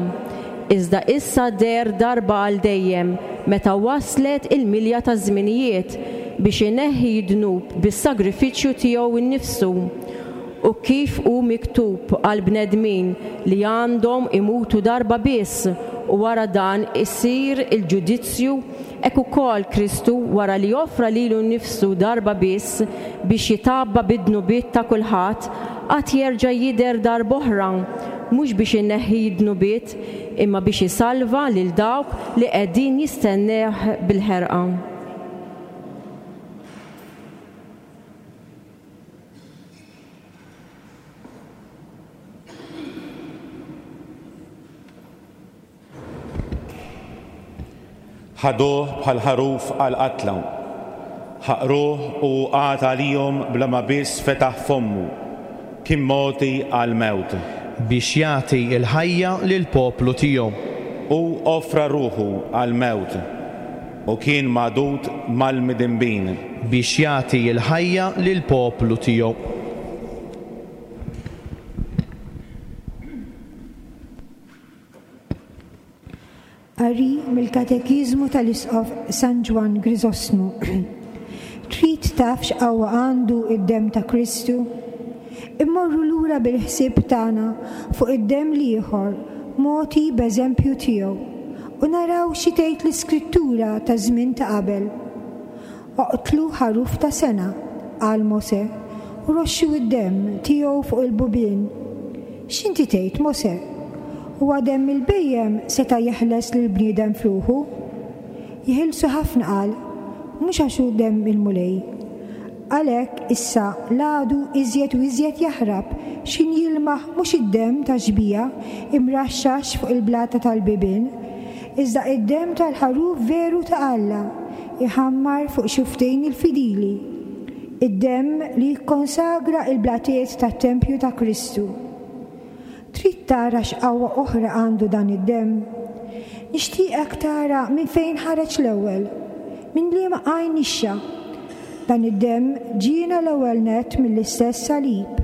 Iżda issa deher darba għal dejjem, meta waslet il-milja taż-żminijiet, biex ineħħi d-dnub bis-sagrifiċċju tiegħu nnifsu. U kif hu miktub għall-bnedmin li għandhom imutu darba biss u wara dan isir il-ġudizzju, Hekk ukoll Kristu, wara li offra lilu nnifsu darba biss biex jitgħabba bid-dnubiet ta' kulħadd, għad jerġa' jidher darb'oħra, mhux biex ineħħi d-dnubiet, imma biex isalva lil dawk li qegħdin jistennewh bil-ħerqa. Ħaduh bħal ħaruf għall-qatla. Ħaqruh u hu qagħad għalihom bla ma biss fetaħ fommu. Kien mogħti għall-mewt. Biex jagħti l-ħajja lill-poplu tiegħu. Hu offra ruħu għall-mewt u kien magħdud mal-midinbin. Biex jagħti l-ħajja lill-poplu tiegħu. Qari mill-Katekiżmu tal-Isqof San Ġwann Griżostmu. Trid taf x'qawwa għandu d-demm ta' Kristu? Immorru lura bil-ħsieb tagħna fuq id-demm l-ieħor mogħti b'eżempju tiegħu u naraw xi tgħid l-Iskrittura taż-żmien ta' qabel. Oqtlu ħaruf ta' sena, qal Mosè, u roxxu d-demm tiegħu fuq il-bubien. X'inti tgħid, Mosè? Huwa demm il-bhejjem seta' jeħles lill-bniedem f'ruħu? Jeħilsu ħafna, qal, mhux għax hu demm il-Mulej. Għalhekk issa l-għadu iżjed u iżjed jaħrab x'ħin jilmaħ mhux id-demm tax-xbieha imraxxax fuq il-blata tal-bibien, iżda id-demm tal-ħaruf veru ta' Alla jħammar fuq xufftejn il-fidili, id-demm li jikkonsagra l-blatiet tat-tempju ta' Kristu. Trid tara x'qawwa oħra għandu dan id-demm? Nixtieqek tara minn fejn ħareġ l-ewwel, minn liema għajn nixxa. Dan id-demm ġiena l-ewwel nett mill-istess salib.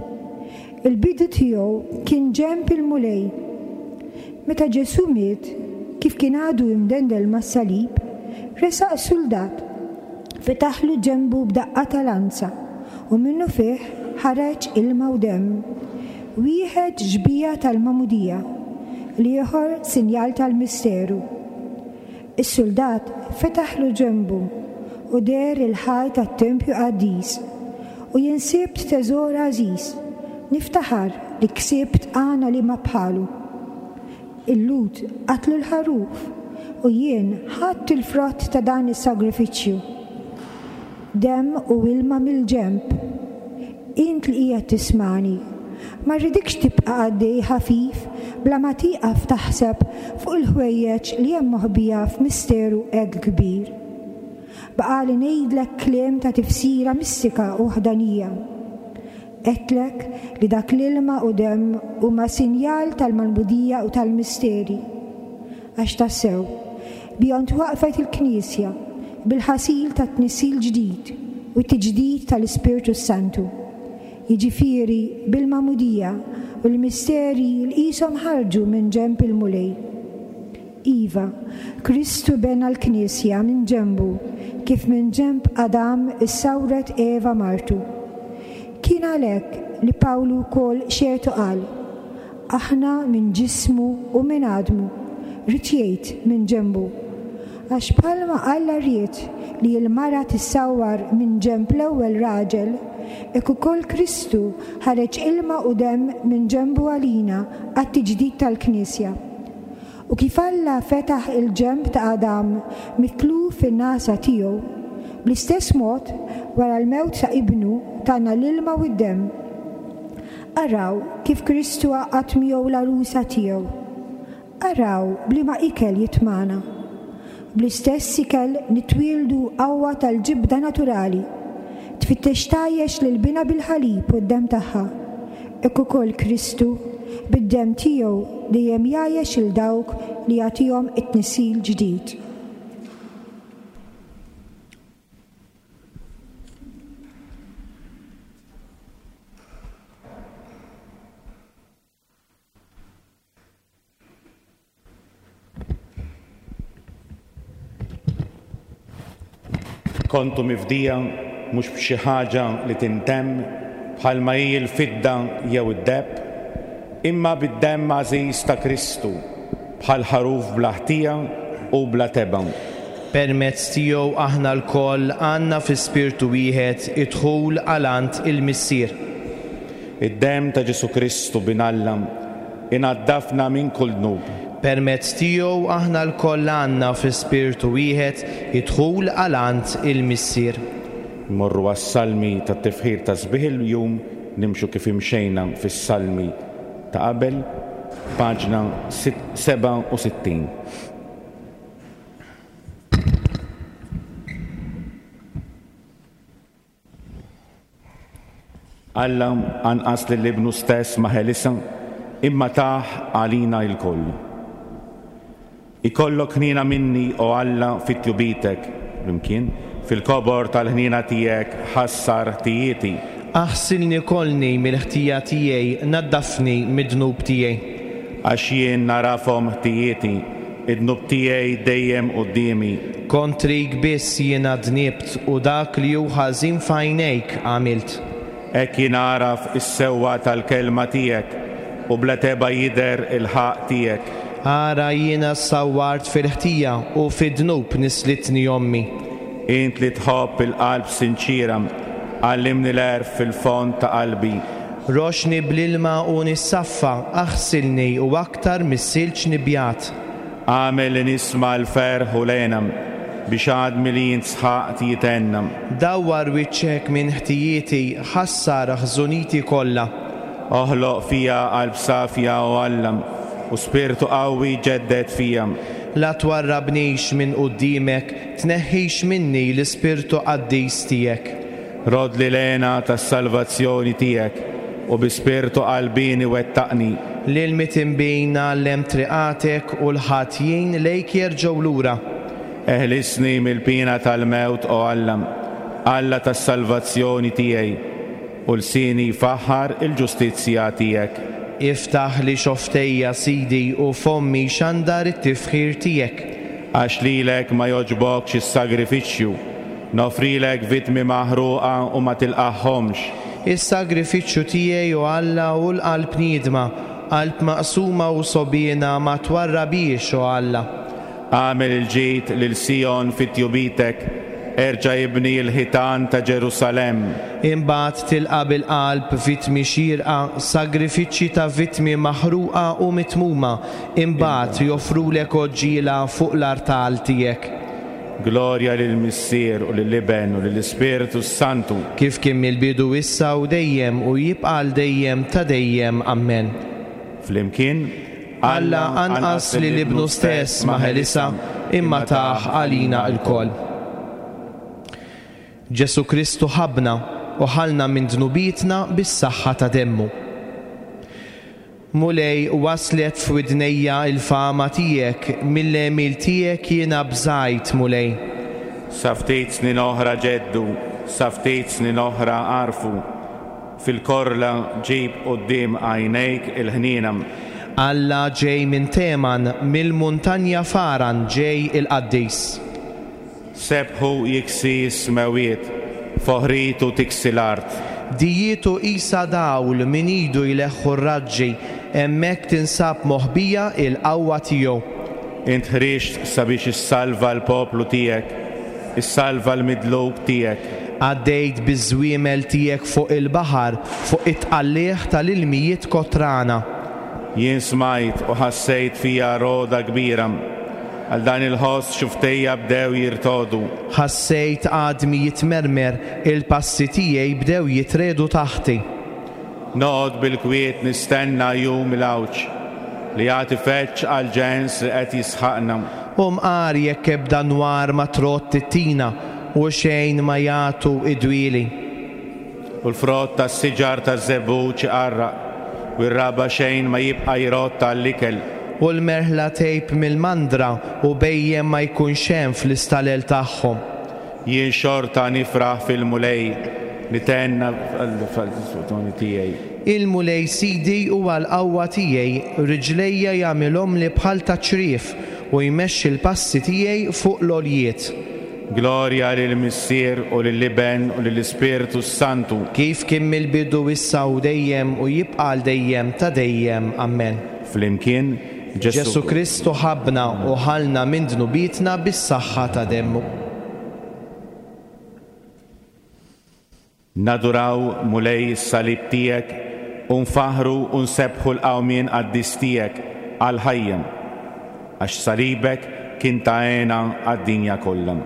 Il-bidu tiegħu kien ġenb il-Mulej. Meta Ġesù miet, kif kien għadu imdendel mas-salib, resaq suldat, fetaħlu ġenbu b'daqqa ta' lanza, u minnufih ħareġ ilma u demm. Wieħed xbieha tal-magħmudija, l-ieħor sinjal tal-misteru. Is-suldat fetaħlu ġenbu u deher il-ħajt tat-tempju qaddis. U jien sibt teżor għażiż, niftaħar li ksibt għana liema bħalu. Il-Lhud qatlu l-ħaruf u jien ħadt il-frott ta' dan is-sagrifiċċju. Demm u ilma mill-ġenb. Int li qiegħed tismagħni, ma rridikx tibqa' għaddej ħafif bla ma tieqaf taħseb fuq il-ħwejjeġ li hemm moħbija f'misteru hekk kbir. Baqagħli ngħidlek kliem ta' tifsira mistika u waħdanija. Għedtlek li dak l-ilma u demm huma sinjal tal-magħmudija u tal-misteri. Għax tassew, bihom twaqqfet il-Knisja, bil-ħasil tat-tnissil ġdid u t-tiġdid tal-Ispirtu s-Santu, jiġifieri bil-magħmudija u l-misteri li qishom ħarġu minn ġenb il-Mulej. Iva, Kristu bena l-Knisja minn ġenbu, kif minn ġenb Adam issawret Eva martu. Kien għalhekk li Pawlu wkoll xehed u qal, Aħna minn ġismu u minn għadmu, ried jgħid minn ġenbu. Għax bħalma Alla ried li l-mara tissawwar minn ġenb l-ewwel raġel, hekk ukoll Kristu ħareġ ilma u demm minn ġenbu għalina għat-tiġdid tal-Knisja. U kif Alla fetaħ il-ġenb ta' Adam mitluf fin-nagħsa tiegħu, bl-istess mod, wara l-mewt ta' Ibnu, tana l-ilma u d-demm. Araw kif Kristu għaqqad miegħu l-għarusa tiegħu. Araw b'liema ikel jitmagħna. Bl-istess ikel nitwieldu qawwa tal-ġibda naturali. Tfittex tgħajjex lil binha bil-ħalib u d-demm tagħha. Hekk ukoll Kristu, bid-demm tiegħu dejjem jgħajjex 'il dawk li jagħtihom it-tnissil ġdid. Kontu mifdija mhux b'xi ħaġa li tintemm bħalma hi l-fidda jew id-deheb, imma bid-demm għażiż ta' Kristu, bħal ħaruf bla ħtija u bla tebgħa. Permezz tiegħu aħna lkoll għandna fi spirtu wieħed id-dħul għal għand il-Missier. Id-demm ta' Ġesù Kristu, Bin Alla, inaddafna minn kull dnub. Permezz tiegħu aħna lkoll għandna fi spirtu wieħed id-dħul għal għand il-Missier. Immorru għas-Salmi tat-Tifħir ta' Sbieħ il-Jum, nimxu kif imxejna fis-Salmi ta' qabel, paġna 67. Alla anqas lil Ibnu stess ma ħelisha, imma tah għalina lkoll. Ikollok ħniena minni, o Alla, fi tjubitek, flimkien, fil-kobor tal-ħniena tiegħek ħassar ħtijieti. Aħsilni kollni mill-ħtija tiegħi, naddafni mid-dnub tiegħi. Għax jien nagħrafhom ħtijieti, Id-dnub tiegħi dejjem quddiemi. Kontrik biss jiena dnibt u dak li hu ħażin f'għajnejk għamilt. Hekk jingħaraf is-sewwa tal-kelma tiegħek, u bla tebgħa jidher il-ħaqq tiegħek. Ara, jiena ssawwart fil-ħtija, u fid-dnub nislitni ommi. Int li tħobb il-qalb sinċiera, għallimni l-għerf fil-fond ta' qalbi. Roxxni bl-ilma u nissaffa, aħsilni u aktar mis-silġ nibjad. Agħmel li nisma' l-ferħ u l-hena, biex għadmi li int sħaqt jithenna. Dawwar wiċċek minn ħtijieti, ħassar ħżuniti kollha. Oħloq fija qalb safja, o Alla, u spirtu qawwi ġedded fija. La twarrabnix minn quddiemek, tneħħix minni l-ispirtu qaddis tiegħek. Roddli l-hena tas-salvazzjoni tiegħek, u bi spirtu qalbieni wettaqni. Lil mitinbin għallem triqatek, u l-ħatjin lejk jerġgħu lura. Eħlisni mill-piena tal-mewt, o Alla, Alla tas-salvazzjoni tiegħi, u lsieni jfaħħar il-ġustizzja tiegħek. Iftaħli xofftejja, Sidi, u fommi jxandar it-tifħir tiegħek. Għax lilek ma jogħġbokx is-sagrifiċċju, Noffrilek vittmi maħruqa u ma tilqagħhomx. Is-sagrifiċċju tiegħi, o Alla, hu l-qalb niedma, qalb maqsuma u sogħbiena ma twarrabhiex, o Alla. Agħmel il-ġid lil Sijon fi tjubitek, erġa' ibni l-ħitan ta' Ġerusalemm. Imbagħad tilqa' bil-qalb vittmi xierqa, sagrifiċċji ta' vittmi maħruqa u mitmuma, imbagħad joffrulek għoġġiela fuq l-artal tiegħek. Glorja lill-Missier u lill-Iben u lill-Ispirtu s-Santu. Kif kien mill-bidu issa u dejjem u jibqa' għal dejjem ta' dejjem. Ammen. Flimkien, Alla anqas lil Ibnu stess ma ħelisha, imma tah għalina lkoll. Ġesù Kristu ħabbna u ħallna minn dnubietna bis-saħħa ta' demmu. Mulej, waslet f'widnejja l-fama tiegħek, mill-għemil tiegħek jiena bżajt, Mulej. Sa ftit snin oħra ġeddu, sa ftit snin oħra għarfu, fil-korla ġib quddiem għajnejk il-ħniena. Alla ġej minn Teman, mill-muntanja Faran ġej il-Qaddis. Sebħu jiksi s-smewwiet, foħritu tiksi l-art. Dijietu qisha dawl, minn idu jleħħu r-raġġi, hemmhekk tinsab moħbija l-qawwa tiegħu. Int ħriġt sabiex issalva l-poplu tiegħek, issalva l-midluk tiegħek. Għaddejt biż-żwiemel tiegħek fuq il-baħar, fuq it-tqalligħ tal-ilmijiet kotrana. Jien smajt u ħassejt fija rogħda kbira. Għal dan il-ħoss xufftejja bdew jirtogħdu. Ħassejt għadmi jitmermer, il-passi tiegħi bdew jitriegħdu taħti. Noqgħod bil-kwiet nistenna jum il-għawġ, li għad ifeġġ għall-ġens li qed jisħaqna. U mqar jekk ebda nwar ma trodd it-tina, u xejn ma jagħtu d-dwieli. U l-frott tas-siġar taż-żebbuġ iqarraq. U r-raba' xejn ma jibqa' jrodd għall-ikel. U l-merħla tgħib mill-mandra, u bhejjem ma jkunx hemm fl-istalel tagħhom. Jien xorta nifraħ fil-Mulej, nithenna fil-Salvazzjoni tiegħi. Il-Mulej Sidi huwa l-qawwa tiegħi, riġlejja jagħmilhomli bħal ta' ċriev, u jmexxi l-passi tiegħi fuq l-għoljiet. Glorja lill-Missier u lill-Iben u lill-Ispirtu s-Santu. Kif kien mill-bidu issa u dejjem u jibqa' għal dejjem ta' dejjem. Ammen. Flimkien, Ġesù. Ġesù Kristu ħabbna u ħallna minn dnubietna bis-saħħa ta' demmu. Naduraw, Mulej, is-salib tiegħek u nfaħħru u nsebbħu l-qawmien qaddis tiegħek għall-ħajja, għax salibek kien ta' hena għad-dinja kollha.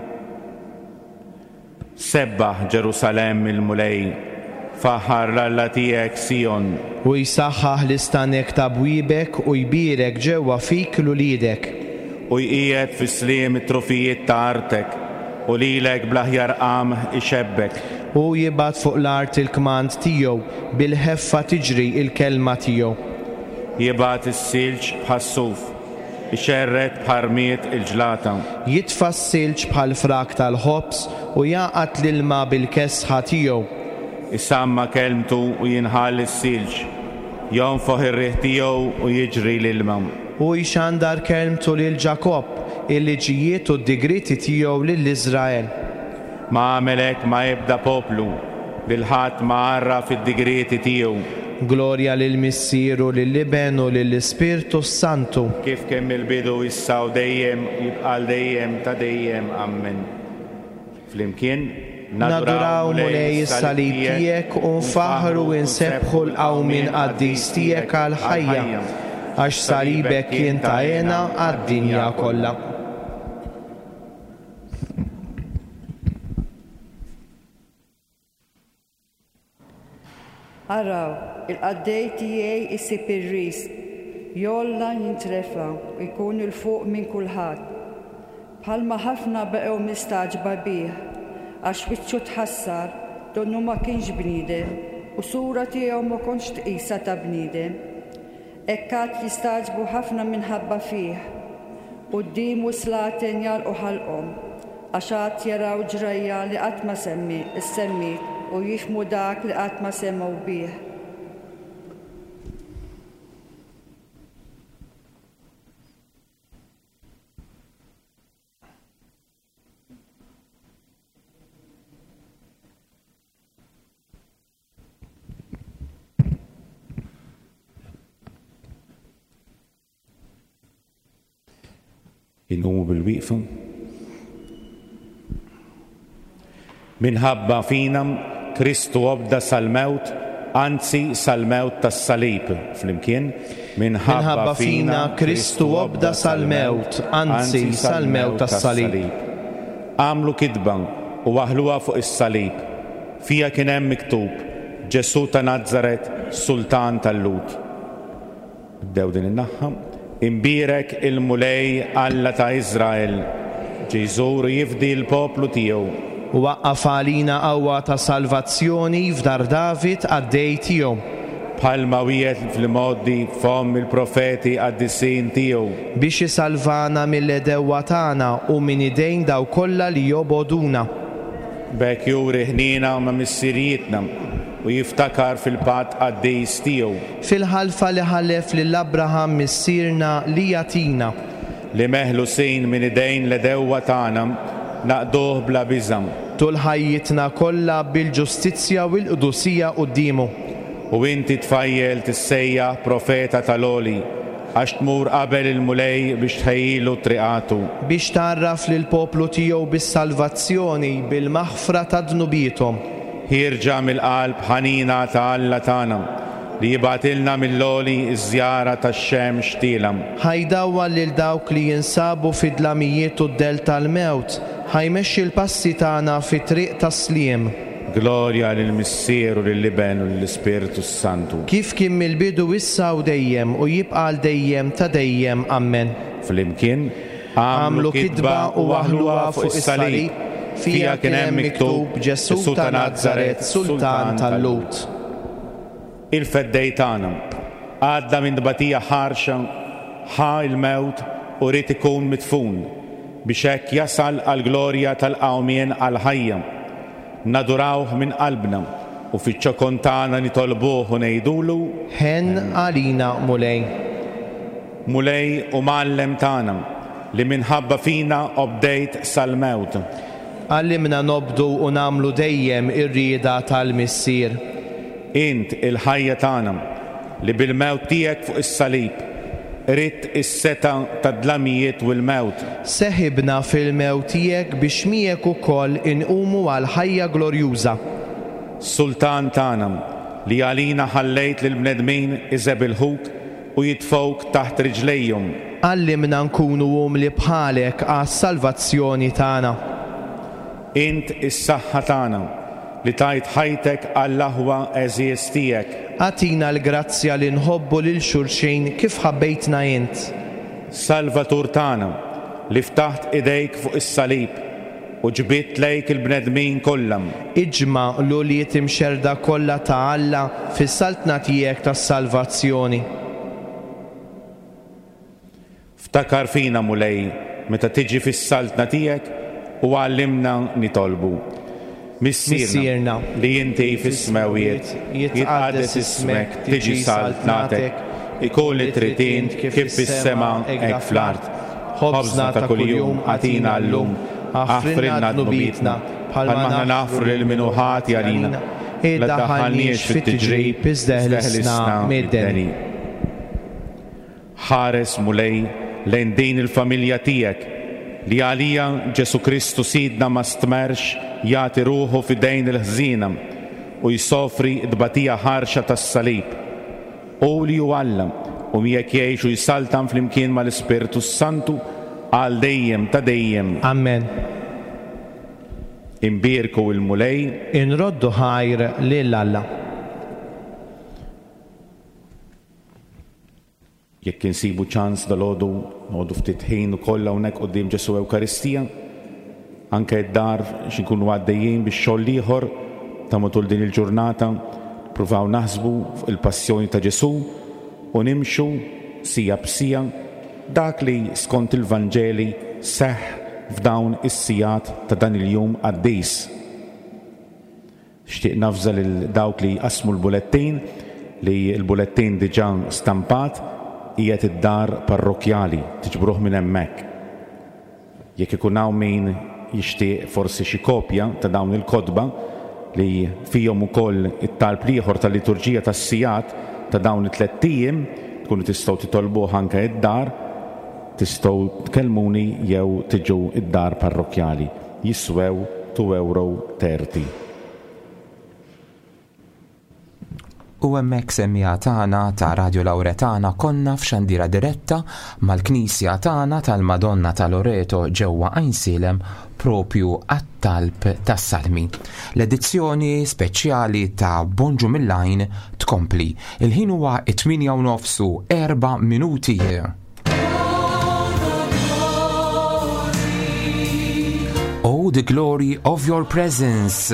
Sebbaħ, Ġerusalemm, il-Mulej, faħħar 'l Alla tiegħek, Sijon. Hu jsaħħaħ l-istanek ta' bwiebek u jbierek ġewwa fik 'l uliedek. U jqiegħed fis-sliem it-trufijiet ta' artek, u lilek bl-aħjar qamħ ixebbek. Hu jibgħat fuq l-art il-kmand tiegħu, bil-ħeffa tiġri l-kelma tiegħu. Jibgħat is-silġ bħas-suf. Ixerred bħal rmied il-ġlata. Jitfa' s-silġ bħal frak tal-ħobż u jagħqad l-ilma bil-kesħa tiegħu. Isamma' kelmtu u jinħall is-silġ, jonfoħ ir-riħ tiegħu u jiġri l-ilma. Hu jxandar kelmtu lil Ġakobb, il-liġijiet u d-digrieti tiegħu lil Iżrael. Ma għamel hekk ma' ebda poplu, lil ħadd ma għarraf id-digrieti tiegħu. Glorja lill-Missier u lill-Iben u lill-Ispirtu s-Santu. Kif kien mill-bidu, issa u dejjem, u jibqa' għal dejjem ta' dejjem. Ammen. Flimkien, Naduraw, Mulej, is-salib tiegħek u nfaħħru u nsebbħu l-qawmien qaddis tiegħek għall-ħajja, għax salibek kien ta' hena għad-dinja kollha. Araw, il-qaddej tiegħi jsib ir-riżq, jogħla jintrefa' u jkun 'il fuq minn kulħadd. Bħalma ħafna baqgħu mistagħġba bih, għax wiċċu tħassar, donnu ma kienx bniedem, u sura tiegħu ma kontx tqisha ta' bniedem. Hekk għad jistagħġbu ħafna minħabba fih. Quddiemu s-slaten jagħlqu ħalqhom, għax għad jaraw ġrajja li qatt ma semmi ssemmiet u jifhmu dak li qatt ma semgħu bih. Inqumu bil-wieqfa. Minħabba fina Kristu obda sal-mewt, anzi sal-mewt tas-salib. Flimkien, minħabba fina Kristu obda sal-mewt, anzi sal-mewt tas-salib. Għamlu kitba u waħħluha fuq is-salib. Fiha kien hemm miktub, Ġesù ta' Nazaret, Sultan tal-Lhud. Nibdew din in-naħa. Imbierek il-Mulej Alla ta' Iżrael, ġie jżur u jifdi l-poplu tiegħu. U waqqaf għalina qawwa ta' salvazzjoni f'dar David qaddej tiegħu. Bħalma wiegħed fl-imgħoddi f'fomm il-profeti qaddisin tiegħu. Biex isalvana mill-għedewwa tagħna u minn idejn dawk kollha li jobogħduna. B'hekk juri ħniena ma' missirijietna u jiftakar fil-patt qaddis tiegħu. Fil-ħalfa li ħalef lil Abraham missierna li jagħtina. Li meħlusin minn idejn l-għedewwa tagħna, naqduh bla biża'. Tul ħajjitna kollha bil-ġustizzja u l-qdusija quddiemu. U inti tfajjel tissejjaħ profeta tal-Għoli. Għax tmur qabel il-Mulej biex tħejjilu triqatu. Biex tgħarraf lill-poplu tiegħu bis-salvazzjoni, bil-maħfra ta' dnubiethom. Ħierġa mill-qalb ħanina ta' Alla tagħna, li jibgħatilna mill-għoli ż-żjara tax-xemx tielgħa. Ħa jdawwal lil dawk li jinsabu fid-dlamijiet u d-dell tal-mewt, ħa jmexxi l-passi tagħna fit-triq tas-sliem. Glorja lill-Missier u lill-Iben u lill-Ispirtu s-Santu. Kif kien mill-bidu issa u dejjem u jibqa' għal dejjem ta' dejjem. Ammen. Flimkien, għamlu kitba u waħħluha fuq is-salib, fiha kien hemm miktub, Ġesù ta' Nazaret, Sultan tal-Lhud. Il-Feddej tagħna. Għadda minn tbatija ħarxa, ħa l-mewt u ried ikun midfun, biex hekk jasal għall-glorja tal-qawmien għall-ħajja. Nadurawh minn qalbna u fiċ-ċokon tagħna nitolbuh u ngħidulu. Ħenn għalina, Mulej. Mulej u Mgħallem tagħna, li minħabba fina obdejt sal-mewt. Għallimna nobdu u nagħmlu dejjem ir-rieda tal-Missier. Int il-ħajja tagħna, li bil-mewt tiegħek fuq is-salib, qridt is-setgħa tad-dlamijiet u l-mewt. Seħibna fil-mewt tiegħek biex miegħek ukoll inqumu għall-ħajja glorjuża. Sultan tagħna, li għalina ħallejt lill-bnedmin iżebilħuk u jitfgħuk taħt riġlejhom. Għallimna nkunu umli bħalek għas-salvazzjoni tagħna. Int is-saħħa tagħna, li tajt ħajtek għall-aħwa għeżież tiegħek. Agħtina l-grazzja li nħobbu lil xulxin kif ħabbejtna int. Salvatur tagħna, li ftaħt idejk fuq is-salib u ġbidt lejk il-bnedmin kollha. Iġma' l-ulied imxerrda kollha ta' Alla fis-saltna tiegħek tas-salvazzjoni. Ftakar fina, Mulej, meta tiġi fis-saltna tiegħek u għallimna nitolbu. Missierna, li inti fis-smewwiet, jitqaddes ismek, tiġi saltnatek, ikun li trid int kif fis-sema hekk fl-art. Ħobżna ta' kuljum agħtina llum, aħfrilna dnubietna, bħalma aħna naħfru lil min hu ħati għalina. La ddaħħalniex fit-tiġrib, iżda eħlisna mid-deni. Ħares, Mulej, lejn din il-familja tiegħek, li għaliha Ġesù Kristu Sidna ma stmerrx jagħti ruħu f'idejn il-ħżiena u jsofri t-tbatija ħarxa tas-salib. Hu li hu Alla, u miegħek jgħix u jsaltan flimkien mal-Ispirtu s-Santu għal dejjem ta' dejjem. Amen. Inbierku l-Mulej. Inroddu ħajr lil Alla. Jekk insibu ċans dalgħodu noqogħdu ftit ħin ukoll hawnhekk quddiem Ġesù Ewkaristija, anke d-dar xi nkunu għaddejjin bix-xogħol l-ieħor ta' matul din il-ġurnata, nippruvaw naħsbu fuq il-passjoni ta' Ġesù u nimxu siegħa b'siegħa dak li skont il-Vanġeli seħħ f'dawn is-sigħat ta' dan il-jum qaddis. Nixtieq navża lil dawk li jqassmu l-bulettin li l-bulettin diġà stampat qiegħed id-dar parrokkjali, tiġbruh minn hemmhekk. Jekk ikun hawn min jixtieq forsi xi kopja ta' dawn il-kotba li fihom ukoll it-talb l-ieħor tal-liturġija tas-sigħat ta' dawn it-tlett ijiem, tkunu tistgħu titolbuh anke id-dar, tistgħu tkellmuni jew tiġu d-dar parrokkjali. Jiswew 2 euro 30. U hemmhekk semmiegħa tagħna ta' Radio Lauretana konna f'xandira diretta mal-Knisja tagħna tal-Madonna ta' Loreto ġewwa Għajnsielem propju għat-talb tas-Salmi. L-edizzjoni speċjali ta' Bonġu mill-Għajn tkompli. Il-ħin huwa 8 u nofsu 4 minuti. Oh, the glory of your presence.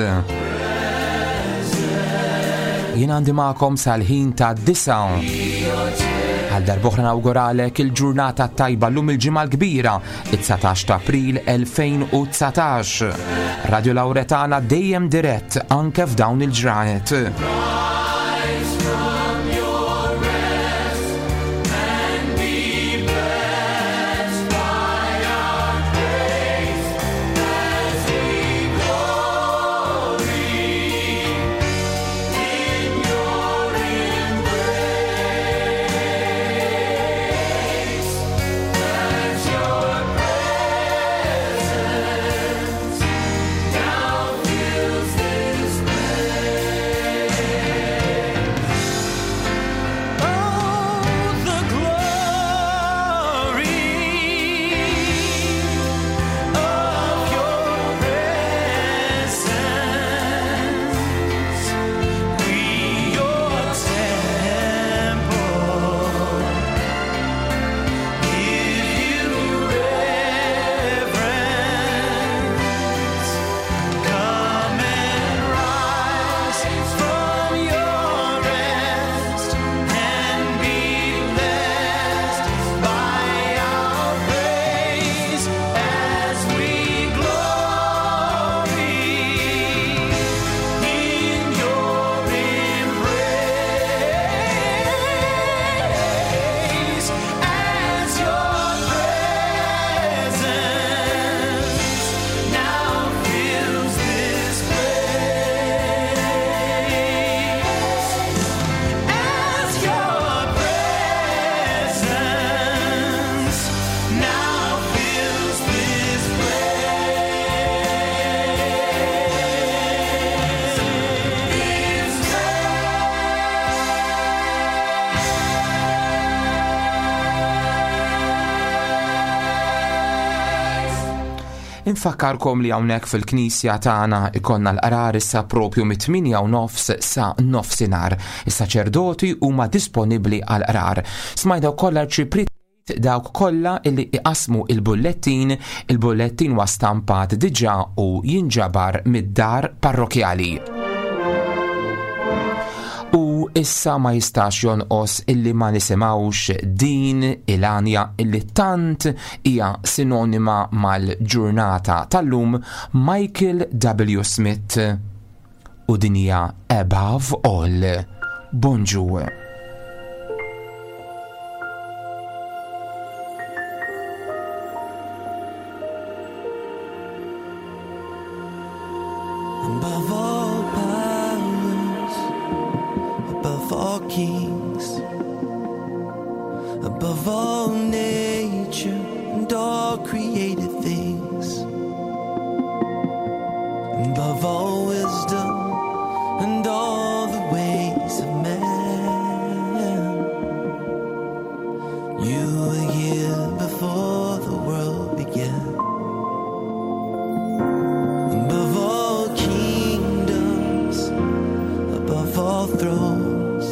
Jien għandi magħkom sal-ħin ta' disa. Għal darb'oħra nawguralek il-ġurnata tajba llum il-ġimgħa l-kbira, it-19 ta' April 2019. Radio Lauretana dejjem dirett anke f'dawn il-ġranet. Rise from your rest and be blessed by our grace as we glory in your embrace. That your presence now fills this place. Infakkarkom li hawnhekk fil-knisja tagħna ikollna l-qrar issa propju mit-8 u nofs sa nofsinhar. Is-saċerdoti huma disponibbli għall-qrar. Smajna wkoll l-Arċipriet dawk kollha illi iqassmu il-bullettin, il-bullettin huwa stampat diġà u jinġabar mid-dar parrokjali. U issa ma jistax jonqos illi ma nisimgħux din il-għanja illi tant hija sinonima mal-ġurnata tal-lum Michael W. Smith u din hija Above All. Bonġu. Above all powers, above all kings, above all nature and all created things, above all wisdom and all the ways of man. You were here before the world began. Above all kingdoms, above all thrones,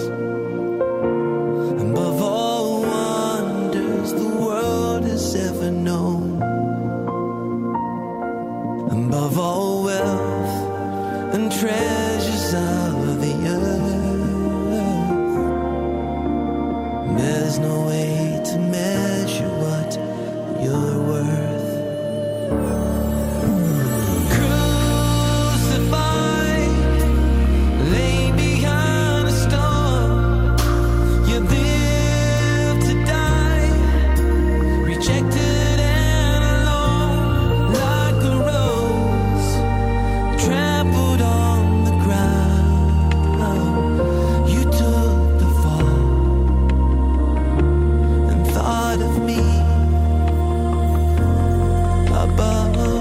above all wonders the world has ever known, above all wealth and treasures of the earth, there's no way to measure what you're worth. Crucified, laid behind a stone, you live to die, rejected and alone, like a rose trampled on the ground. You took the fall and thought of me above all.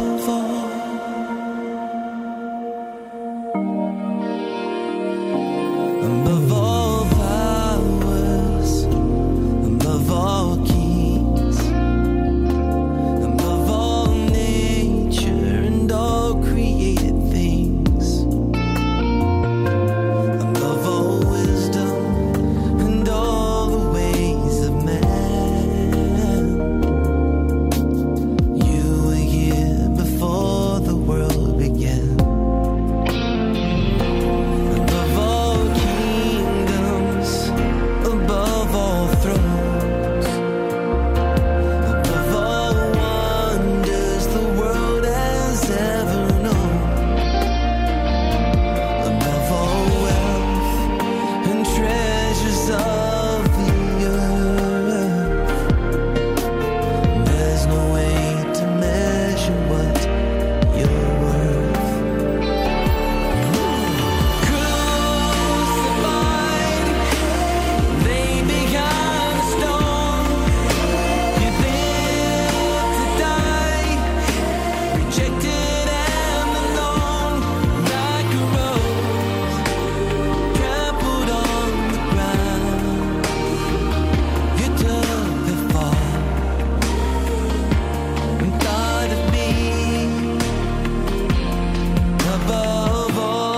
Above all powers, above all kings, above all nature and all created things, above all wisdom and all the ways of man, you were here before the world began. Above all kingdoms, above all thrones, above all wonders the world has ever known, above all wealth and treasures of the earth, there's no way to measure what you're worth. Crucified, laid behind a stone, you live to die, rejected and alone, like a rose trampled on the ground. You took the fall and thought of me above all.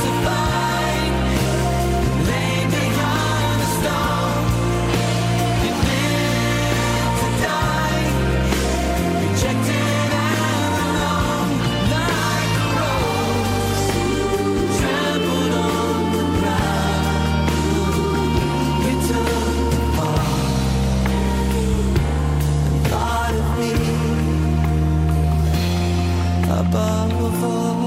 Crucified, laid behind a stone, you live to die, rejected and alone, like a rose trampled on the ground. You took the fall and thought of me above all.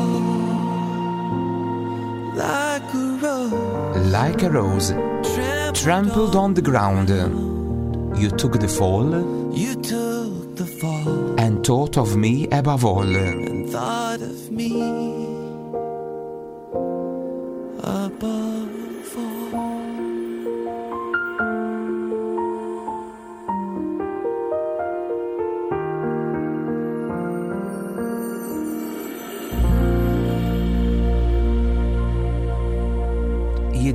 Like a rose Like a rose trampled on the ground, you took the fall You took the fall and thought of me above all. and thought of me above all.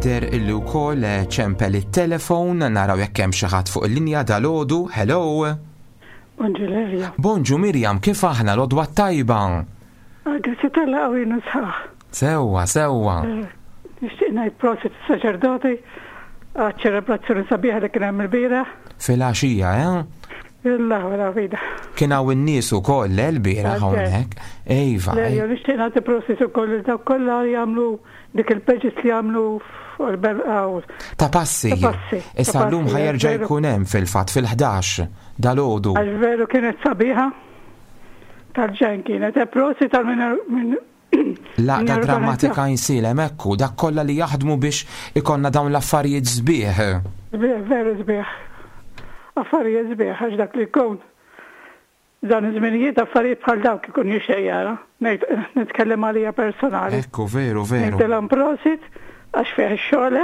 Jidher illi wkoll eh, ċempel it-telefon, naraw jekk hemm xi ħadd fuq il-linja dalgħodu. Hello. Bonġu Lelja. Bonġu Mirjam, kif aħna l-għodwa tajba? Ah, grazzi tal qawwin sħaħ. Sewwa, sewwa. Eh, nixtieq ngħid prosit is-saċerdoti għaċ-ċelebrazzjoni sabiħa li kien hemm il-bieraħ. Filgħaxija, eh? Il-laħwa vida. Kien hawn in-nies ukoll eh, l-bieraħ hawnhekk. Ejva. Lelja, nixtieq nagħti prosit ukoll lil dawk kollha li jagħmlu dik il-pages li jagħmlu fuq il-berqa Ta' passi. Ta' passi. Issa llum ħajerġa' jkun hemm fil-fatt fil-11 dalgħodu. Għax veru kienet sabiħa tal-ġen kienet. E prosit tal minn L-għaqda drammatika Għajnsielem, ekku, dak kollha li jaħdmu biex ikollna dawn l-affarijiet sbieħ. Sbieħ, veru sbieħ. Affarijiet sbieħ għax dak li jkun dan iż-żminijiet affarijiet bħal dawk ikun jixtieq jara. Ngħid nitkellem għalija personali. Ekku, veru, veru. Ngħidilhom prosit għax fih ix-xogħol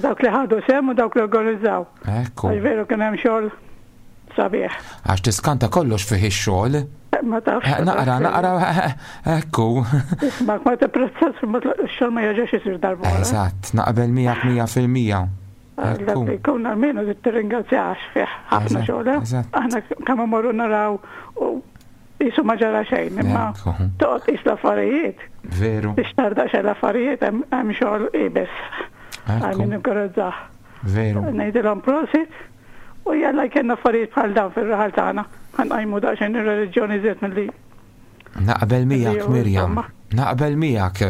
dawk li ħadu sehem u dawk li organizzaw. Ekku. Għax veru kien hemm xogħol sabiħ. Għax tiskanta kollox fih ix-xogħol. Ma tafx. Eh, naqra, naqra, eh, eh, ekku. Isma' ma tipprezzas xogħol ma jerġax isir darba. Eżatt, naqbel miegħek 100%. Ekku. Jkun almenu tirringrazzja għax fih ħafna xogħol. Aħna kemm imorru naraw u jisu ma ġara xejn, imma toqgħod qis l-affarijiet. Veru. Biex tarda xejn l-affarijiet hemm xogħol ibes. Għal min inkoraġġah. Veru. Ngħidilhom prosit U jalla jkenna affarijiet bħal dawn fir-raħal tagħna, ħa nqajmu daqsxejn ir-reliġjon iżjed milli. Naqbel miegħek Mirjam, naqbel miegħek.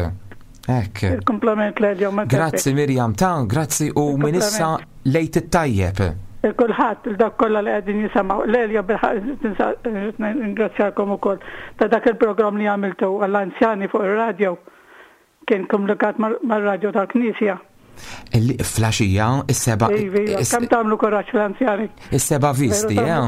Hekk. Il-kumplament l-jom. Grazzi Mirjam ta' grazzi u minn issa lejt it-tajjeb. Il-kulħadd, il-dak kollha li qegħdin jisimgħu. Lelja bilħaq ringrazzjakom ukoll ta' dak il-programm li għamiltu għall-anzjani fuq ir-radio. Kien komunikat mar-radju tal-Knisja. Flaxija, is-seba. Iva, iva, kemm tagħmlu kuraġġ l-anzjani. Is-seba visti, eh?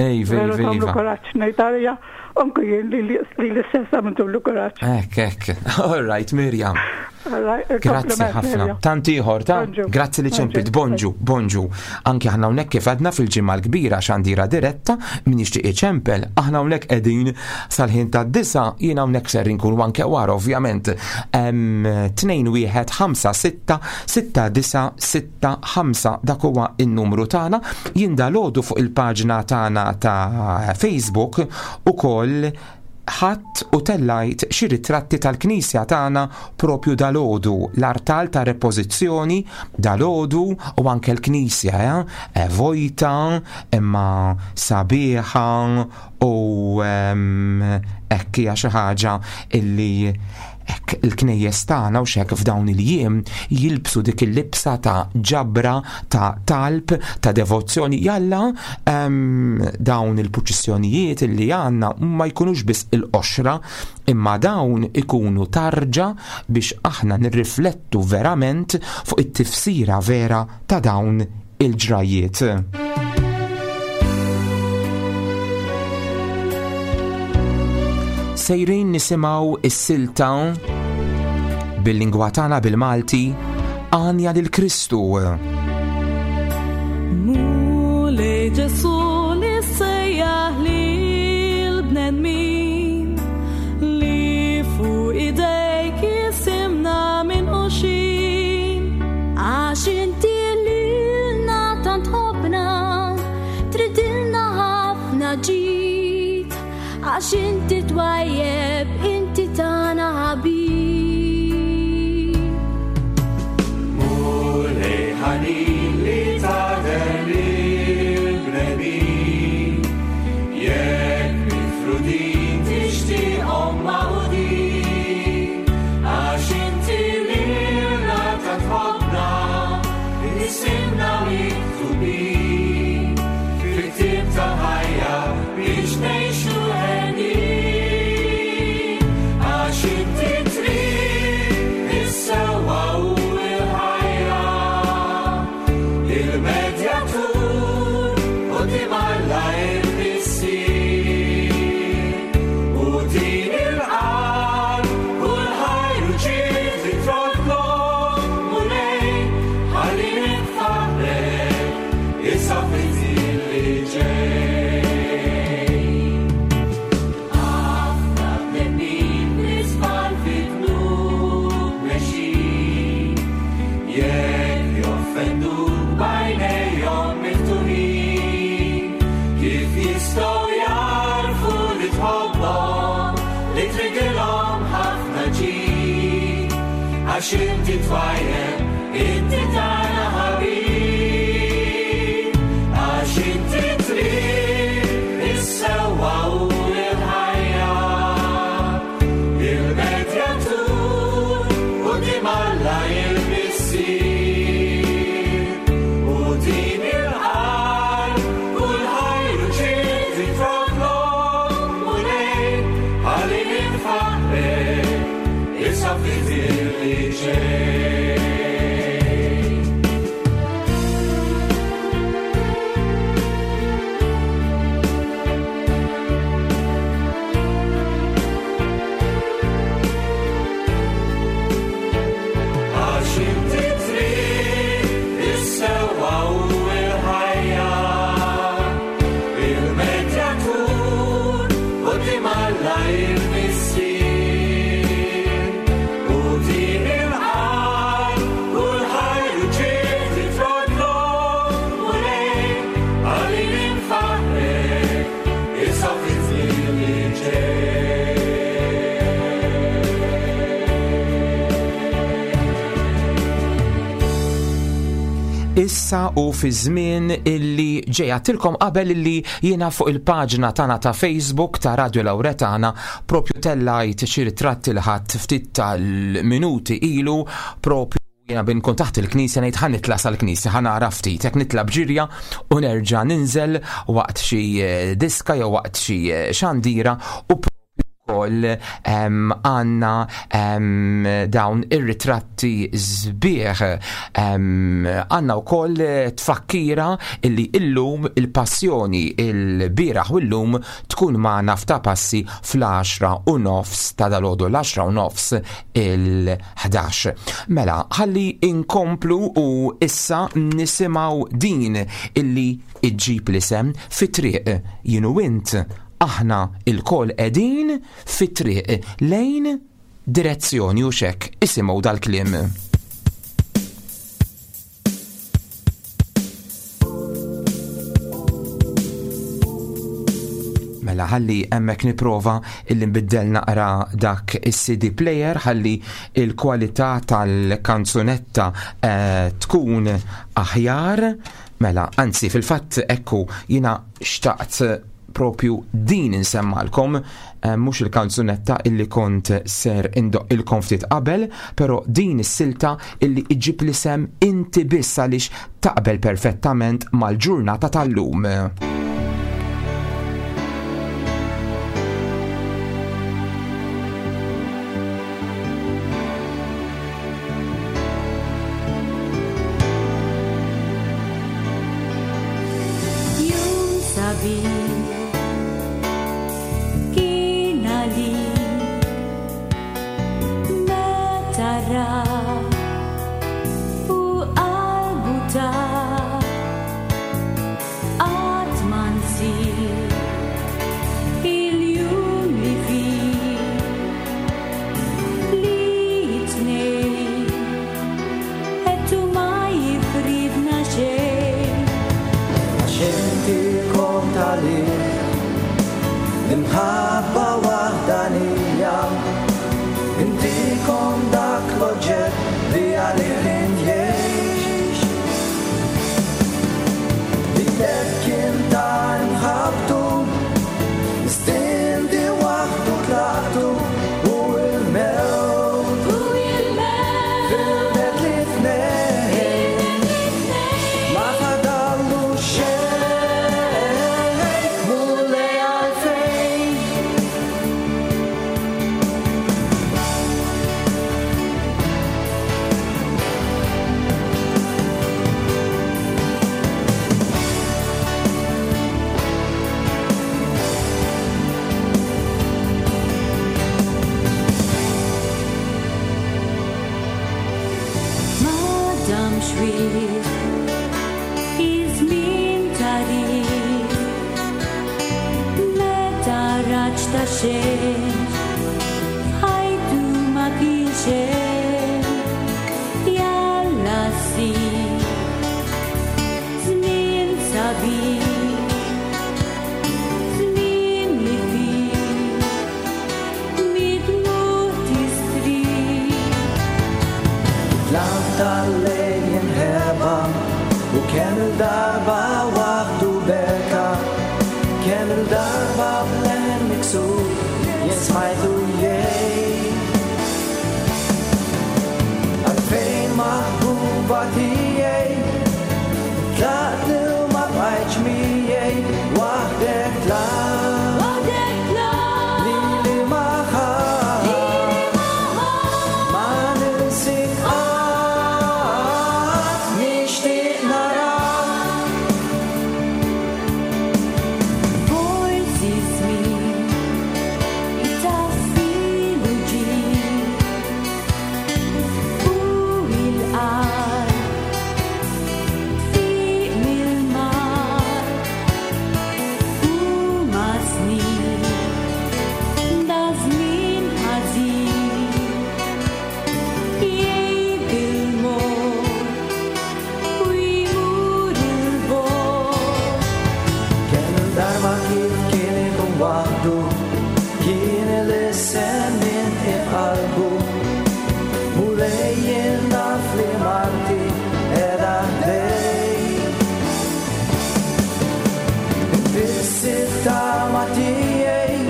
Ej, iva, iva. Tagħmlu kuraġġ, ngħid għalija, anke jien li l-istess għamiltulu kuraġġ. Hekk, hekk. All right, Mirjam. Grazzi ħafna. Tant ieħor ta' grazzi li ċempit. Bonġu, bonġu. Anki aħna hawnhekk kif għadna fil-ġimgħa l-kbira xandira diretta min jixtieq iċempel, aħna hawnhekk qegħdin sal-ħin tad-disa jien hawnhekk ser inkun anke wara ovvjament. 2 1 5 6 6 9 6 5 dak huwa n-numru tagħna. Jien dalgħodu fuq il-paġna tagħna ta' Facebook ukoll ħadt u tellajt xi ritratti tal-knisja tagħna propju dalgħodu, l-artal ta' repożizzjoni dalgħodu u anke l-knisja eh, vojta imma sabiħa u ehm, hekk hija xi ħaġa illi hekk il-knejjes tagħna u x'hekk f'dawn il-jiem jilbsu dik il-libsa ta' ġabra, ta' talb, ta' devozzjoni. Jalla ehm, dawn il-purċissjonijiet li għandna ma jkunux biss il-qoxra, imma dawn ikunu tarġa biex aħna nirriflettu verament fuq it-tifsira vera ta' dawn il-ġrajjiet. Sejrin nisimgħu is-silta bil-lingwa tagħna bil-Malti Għanja lil Kristu. Mulej Ġesu li sejjaħ lil bnedmin li fuq idejk jisimna minn uxin. Għax inti lilna tant ħobna, tridilna ħafna ġid, għax inti twajjeb, inti tagħna ħabib. Mulej ħanin li tagħder lill-bnedmin, jekk mifrudin tixtieqhom magħqudin, għax inti lilna tant ħobbna, isimna miktubin fil-ktieb tal-ħajja. Għax inti twajjeb, inti tagħna ħabib. Għax inti triq is-sewwa u l-ħajja. Il-medjatur quddiem Alla il-Missier. U din il-qalb kull ħajr u ġid itroklok, Mulej, ħalli nfaħħrek issa fi żmien li ġej. Għax inti triq is-sewwa u l-ħajja, il-medjatur quddiem Alla il-Missier. U din il-qalb kull ħajr u ġid itroddlok, Mulej, ħalli nfaħħrek issa fi żmien li ġej. Issa u fi żmien illi ġej għedtilkom qabel illi jiena fuq il-paġna tagħna ta' Facebook ta' Radio Lauretana propju tellajt xi ritratti li ħadt ftit tal-minuti ilu propju jiena bin kont taħt il-knisja ngħid ħa nitla' sal-knisja ħa nara ftit hekk nitla' b'ġirja u nerġa' ninżel waqt xi diska jew waqt xi xandira u propju wkoll għandna dawn ir-ritratti sbieħ. Għandna wkoll tfakkira illi illum il-passjoni il-bieraħ u llum tkun magħna f'ta' passi fl-10 u nofs ta' dalgħodu l-10 u nofs il-11. Mela, ħalli inkomplu u issa nisimgħu din illi iġġib l-isem fit-triq jien u int aħna ilkoll qegħdin fit-triq lejn direzzjoni u xek isimgħu dal-kliem. Mela ħalli hemmhekk niprova illi nbiddel naqra dak is-CD player ħalli il-kwalità tal-kanzunetta tkun aħjar. Mela, anzi fil-fatt ekku jiena xtaqt propju din insemmalkom, mhux il-kanzunetta illi kont ser indoqqilkom ftit qabel, però din is-silta illi iġġib l-isem Inti Biss għaliex taqbel perfettament mal-ġurnata tal-lum. Jum sabiħ kien għalik meta ra u qalbu ta qatt ma nsir il-jum li fih li tnejn qed u ma jifridna xejn. Għax inti kont għalih l-imħabba waħdanija, inti kont dak l-oġġett li għalih jgħix. Lilek kien ta' imħabbtu, istinti waħdu tlaqtu u l-mewt. U l-mewt. Firdet li tnejn. Ma fadallu xejn, mulej għalfejn. Ma damx wisq iż-żmien tagħrif, meta raġ ta' xejn f'ħajtu ma kienx hemm. Jalla ssir żmien sabiħ, żmien li fih mid-dmugħ tistrieħ. Id-dlam tal-lejl jinħeba u kemm il-darba waħdu beka, kemm il-darba b'leħen miksur jien smajtu jgħid. Għalfejn maħbuba tiegħi tlaqtni u ma bqajtx miegħi waħdek tlaqt. Waħdek tlaqt. Lili ma ħadd. Lili ma ħadd. Ma ninsik qatt, nixtieq narak. Forsi żmien itaffi l-uġigħ u l-qalb tfiq mill-mar huma snin da żmien ħażin jgħib il-mod u jmur il-bogħod. Kemm il-darba kif kien ikun waħdu, kien ilissen minn qalbu. Mulej jien naf li marti qiegħda ħdejk. Biss it-tama tiegħi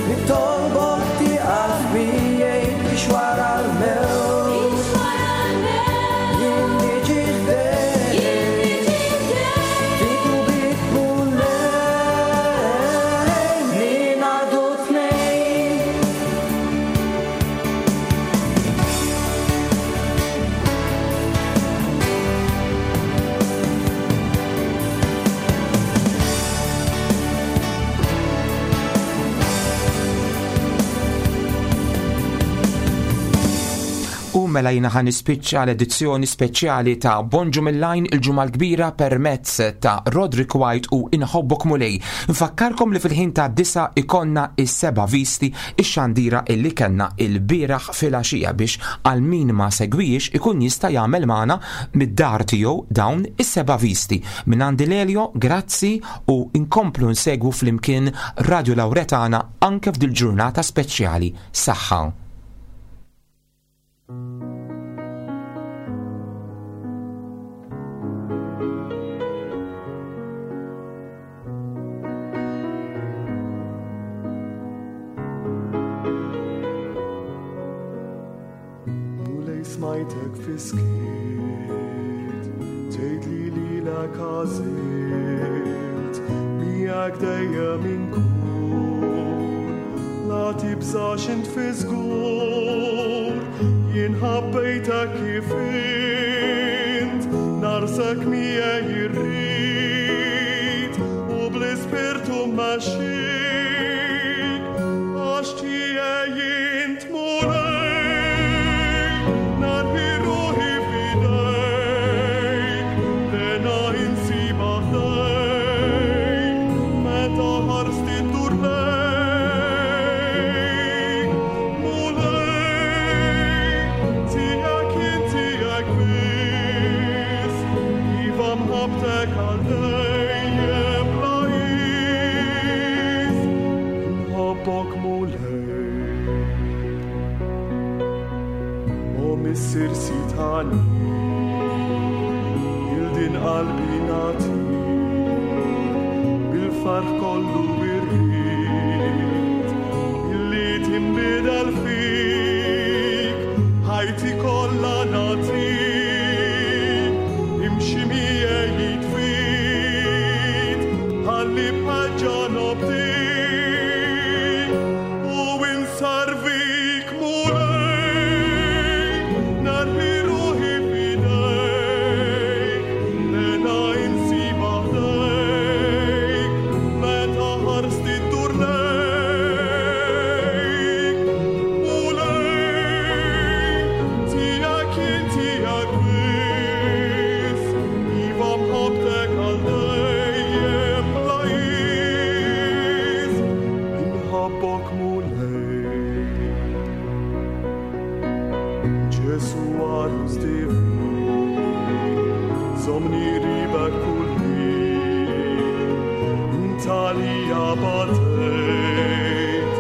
nitolbok tieqaf miegħi biex wara l-mewt. Biex wara l-mewt. Jien niġi ħdejk. Jien niġi ħdejk. Fik u bik Mulej, ningħaqdu tnejn. U mela jina ħan nispiċċa l-edizzjoni speċjali ta' Bonġu mill-Lajn il-ġimgħa l-kbira permezz ta' Roderick White u Inħobbok Mulej. Nfakkarkom li fil-ħin ta' disa ikonna is-seba' visti ix-xandira illi kellna il-bieraħ filgħaxija biex għal min ma segwix ikun jista' jagħmel magħna mid-dar tiegħu dawn is-seba' visti. Minn għandi Lelio, grazzi u nkomplu nsegwu flimkien Radio Lauretana anke f'dil ġurnata speċjali. Saħħa. Mulej smajtek fiskiet, tgħid li lilek għażilt, miegħek dejjem inkun, la tibżax int fi żgur, jien ħabbejtek kif int, narsek miegħi rrid, u bl-ispirtu mmexxik, għax tiegħi int Mulej, narmi ruħi f'idejk, lena insibha ħdejk, meta ħarsti ddur lejk. Mulej, tiegħek jien tiegħek biss, iva mħabbtek għal dejjem bla qis. Inħobbok Mulej. O Missier Sitani, il-din qalbi nagħti, bil-farħ kollu irrid, illi tinbidel fik, ħajti kollha nagħtik, imxi miegħi jitfid, ħalli bħaġa nobdik, u insarvik Mulej, narmi ruħi f'idejk, lena insibha ħdejk, meta ħarsti ddur lejk. Mulej, tiegħek jien tiegħek biss, iva mħabbtek għal dejjem bla qis. Inħobbok Mulej. Ġesu għarus divin, żommni ribek kull ħin, inta li batejt,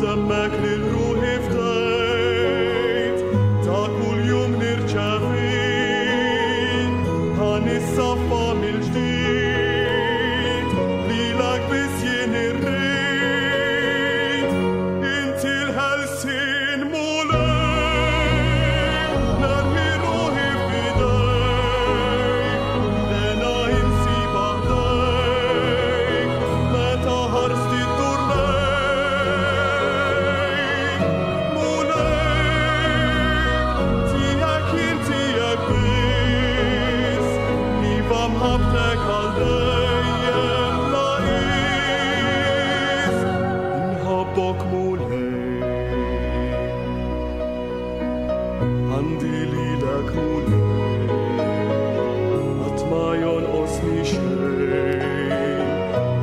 demmek lil ruħi fdejt, ta' kull jum nirċevejt. nissaffa mill-ġdid, lilek biss jien irrid. Inti l-ħelsien Mulej, narmi ruħi f'idejk, l-hena insibha ħdejk, meta ħarsti ddur lejk. Mulej, tiegħek jien tiegħek biss, iva mħabbtek għal dejjem bla qies. Inħobbok Mulej, għandi lilek Mulej, qatt ma jonqosni xejn,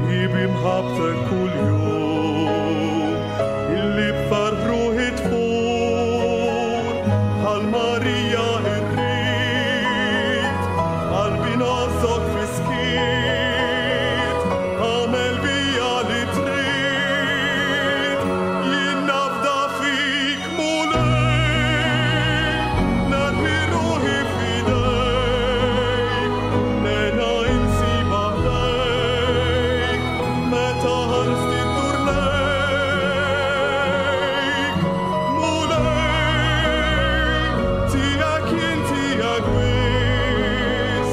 hi bi mħabbtek kuljum, illi b'ferħ ruħi tfur, bħal Marija irrid, qalbi ngħożżok fis-skiet, agħmel bija li trid, jien nafda fik Mulej, narmi ruħi f'idejk, l-hena insibha ħdejk, meta ħarsti ddur lejk. Mulej, tiegħek jien tiegħek biss,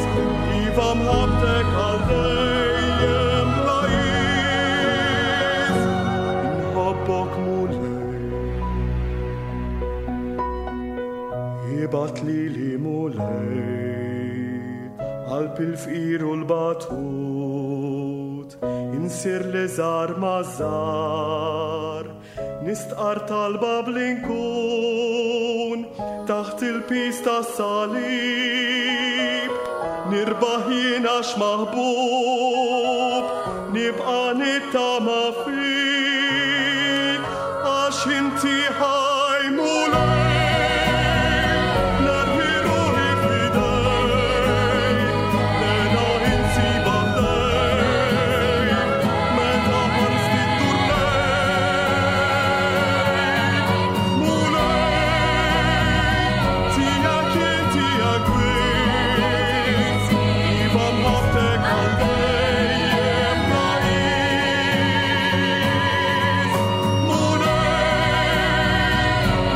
iva mħabbtek għal dejjem bla qies. Inħobbok Mulej, ibgħat lili Mulej, qalb il-fqir u l-batut, insir l-iżgħar maż-żgħar, nistqar talba bl-inkun, taħt il-piż tas-salib, nirbaħ jien għax maħbub, nibqa' nittama fik, għax inti ħaj Mulej, narmi ruħi f'idejk, l-hena insibha ħdejk, meta ħarsti ddur lejk. Mulej, tiegħek jien tiegħek biss, iva mħabbtek għal dejjem bla qies. Mulej,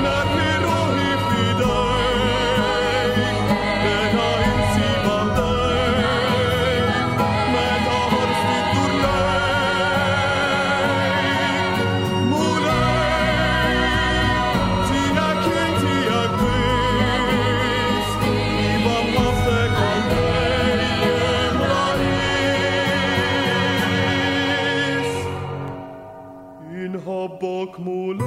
narmi ruħi f'idejk, l-hena insibha ħdejk, meta ħarsti ddur lejk. Mulej, tiegħek jien tiegħek biss, iva mħabbtek għal dejjem bla qies. Inħobbok Mulej.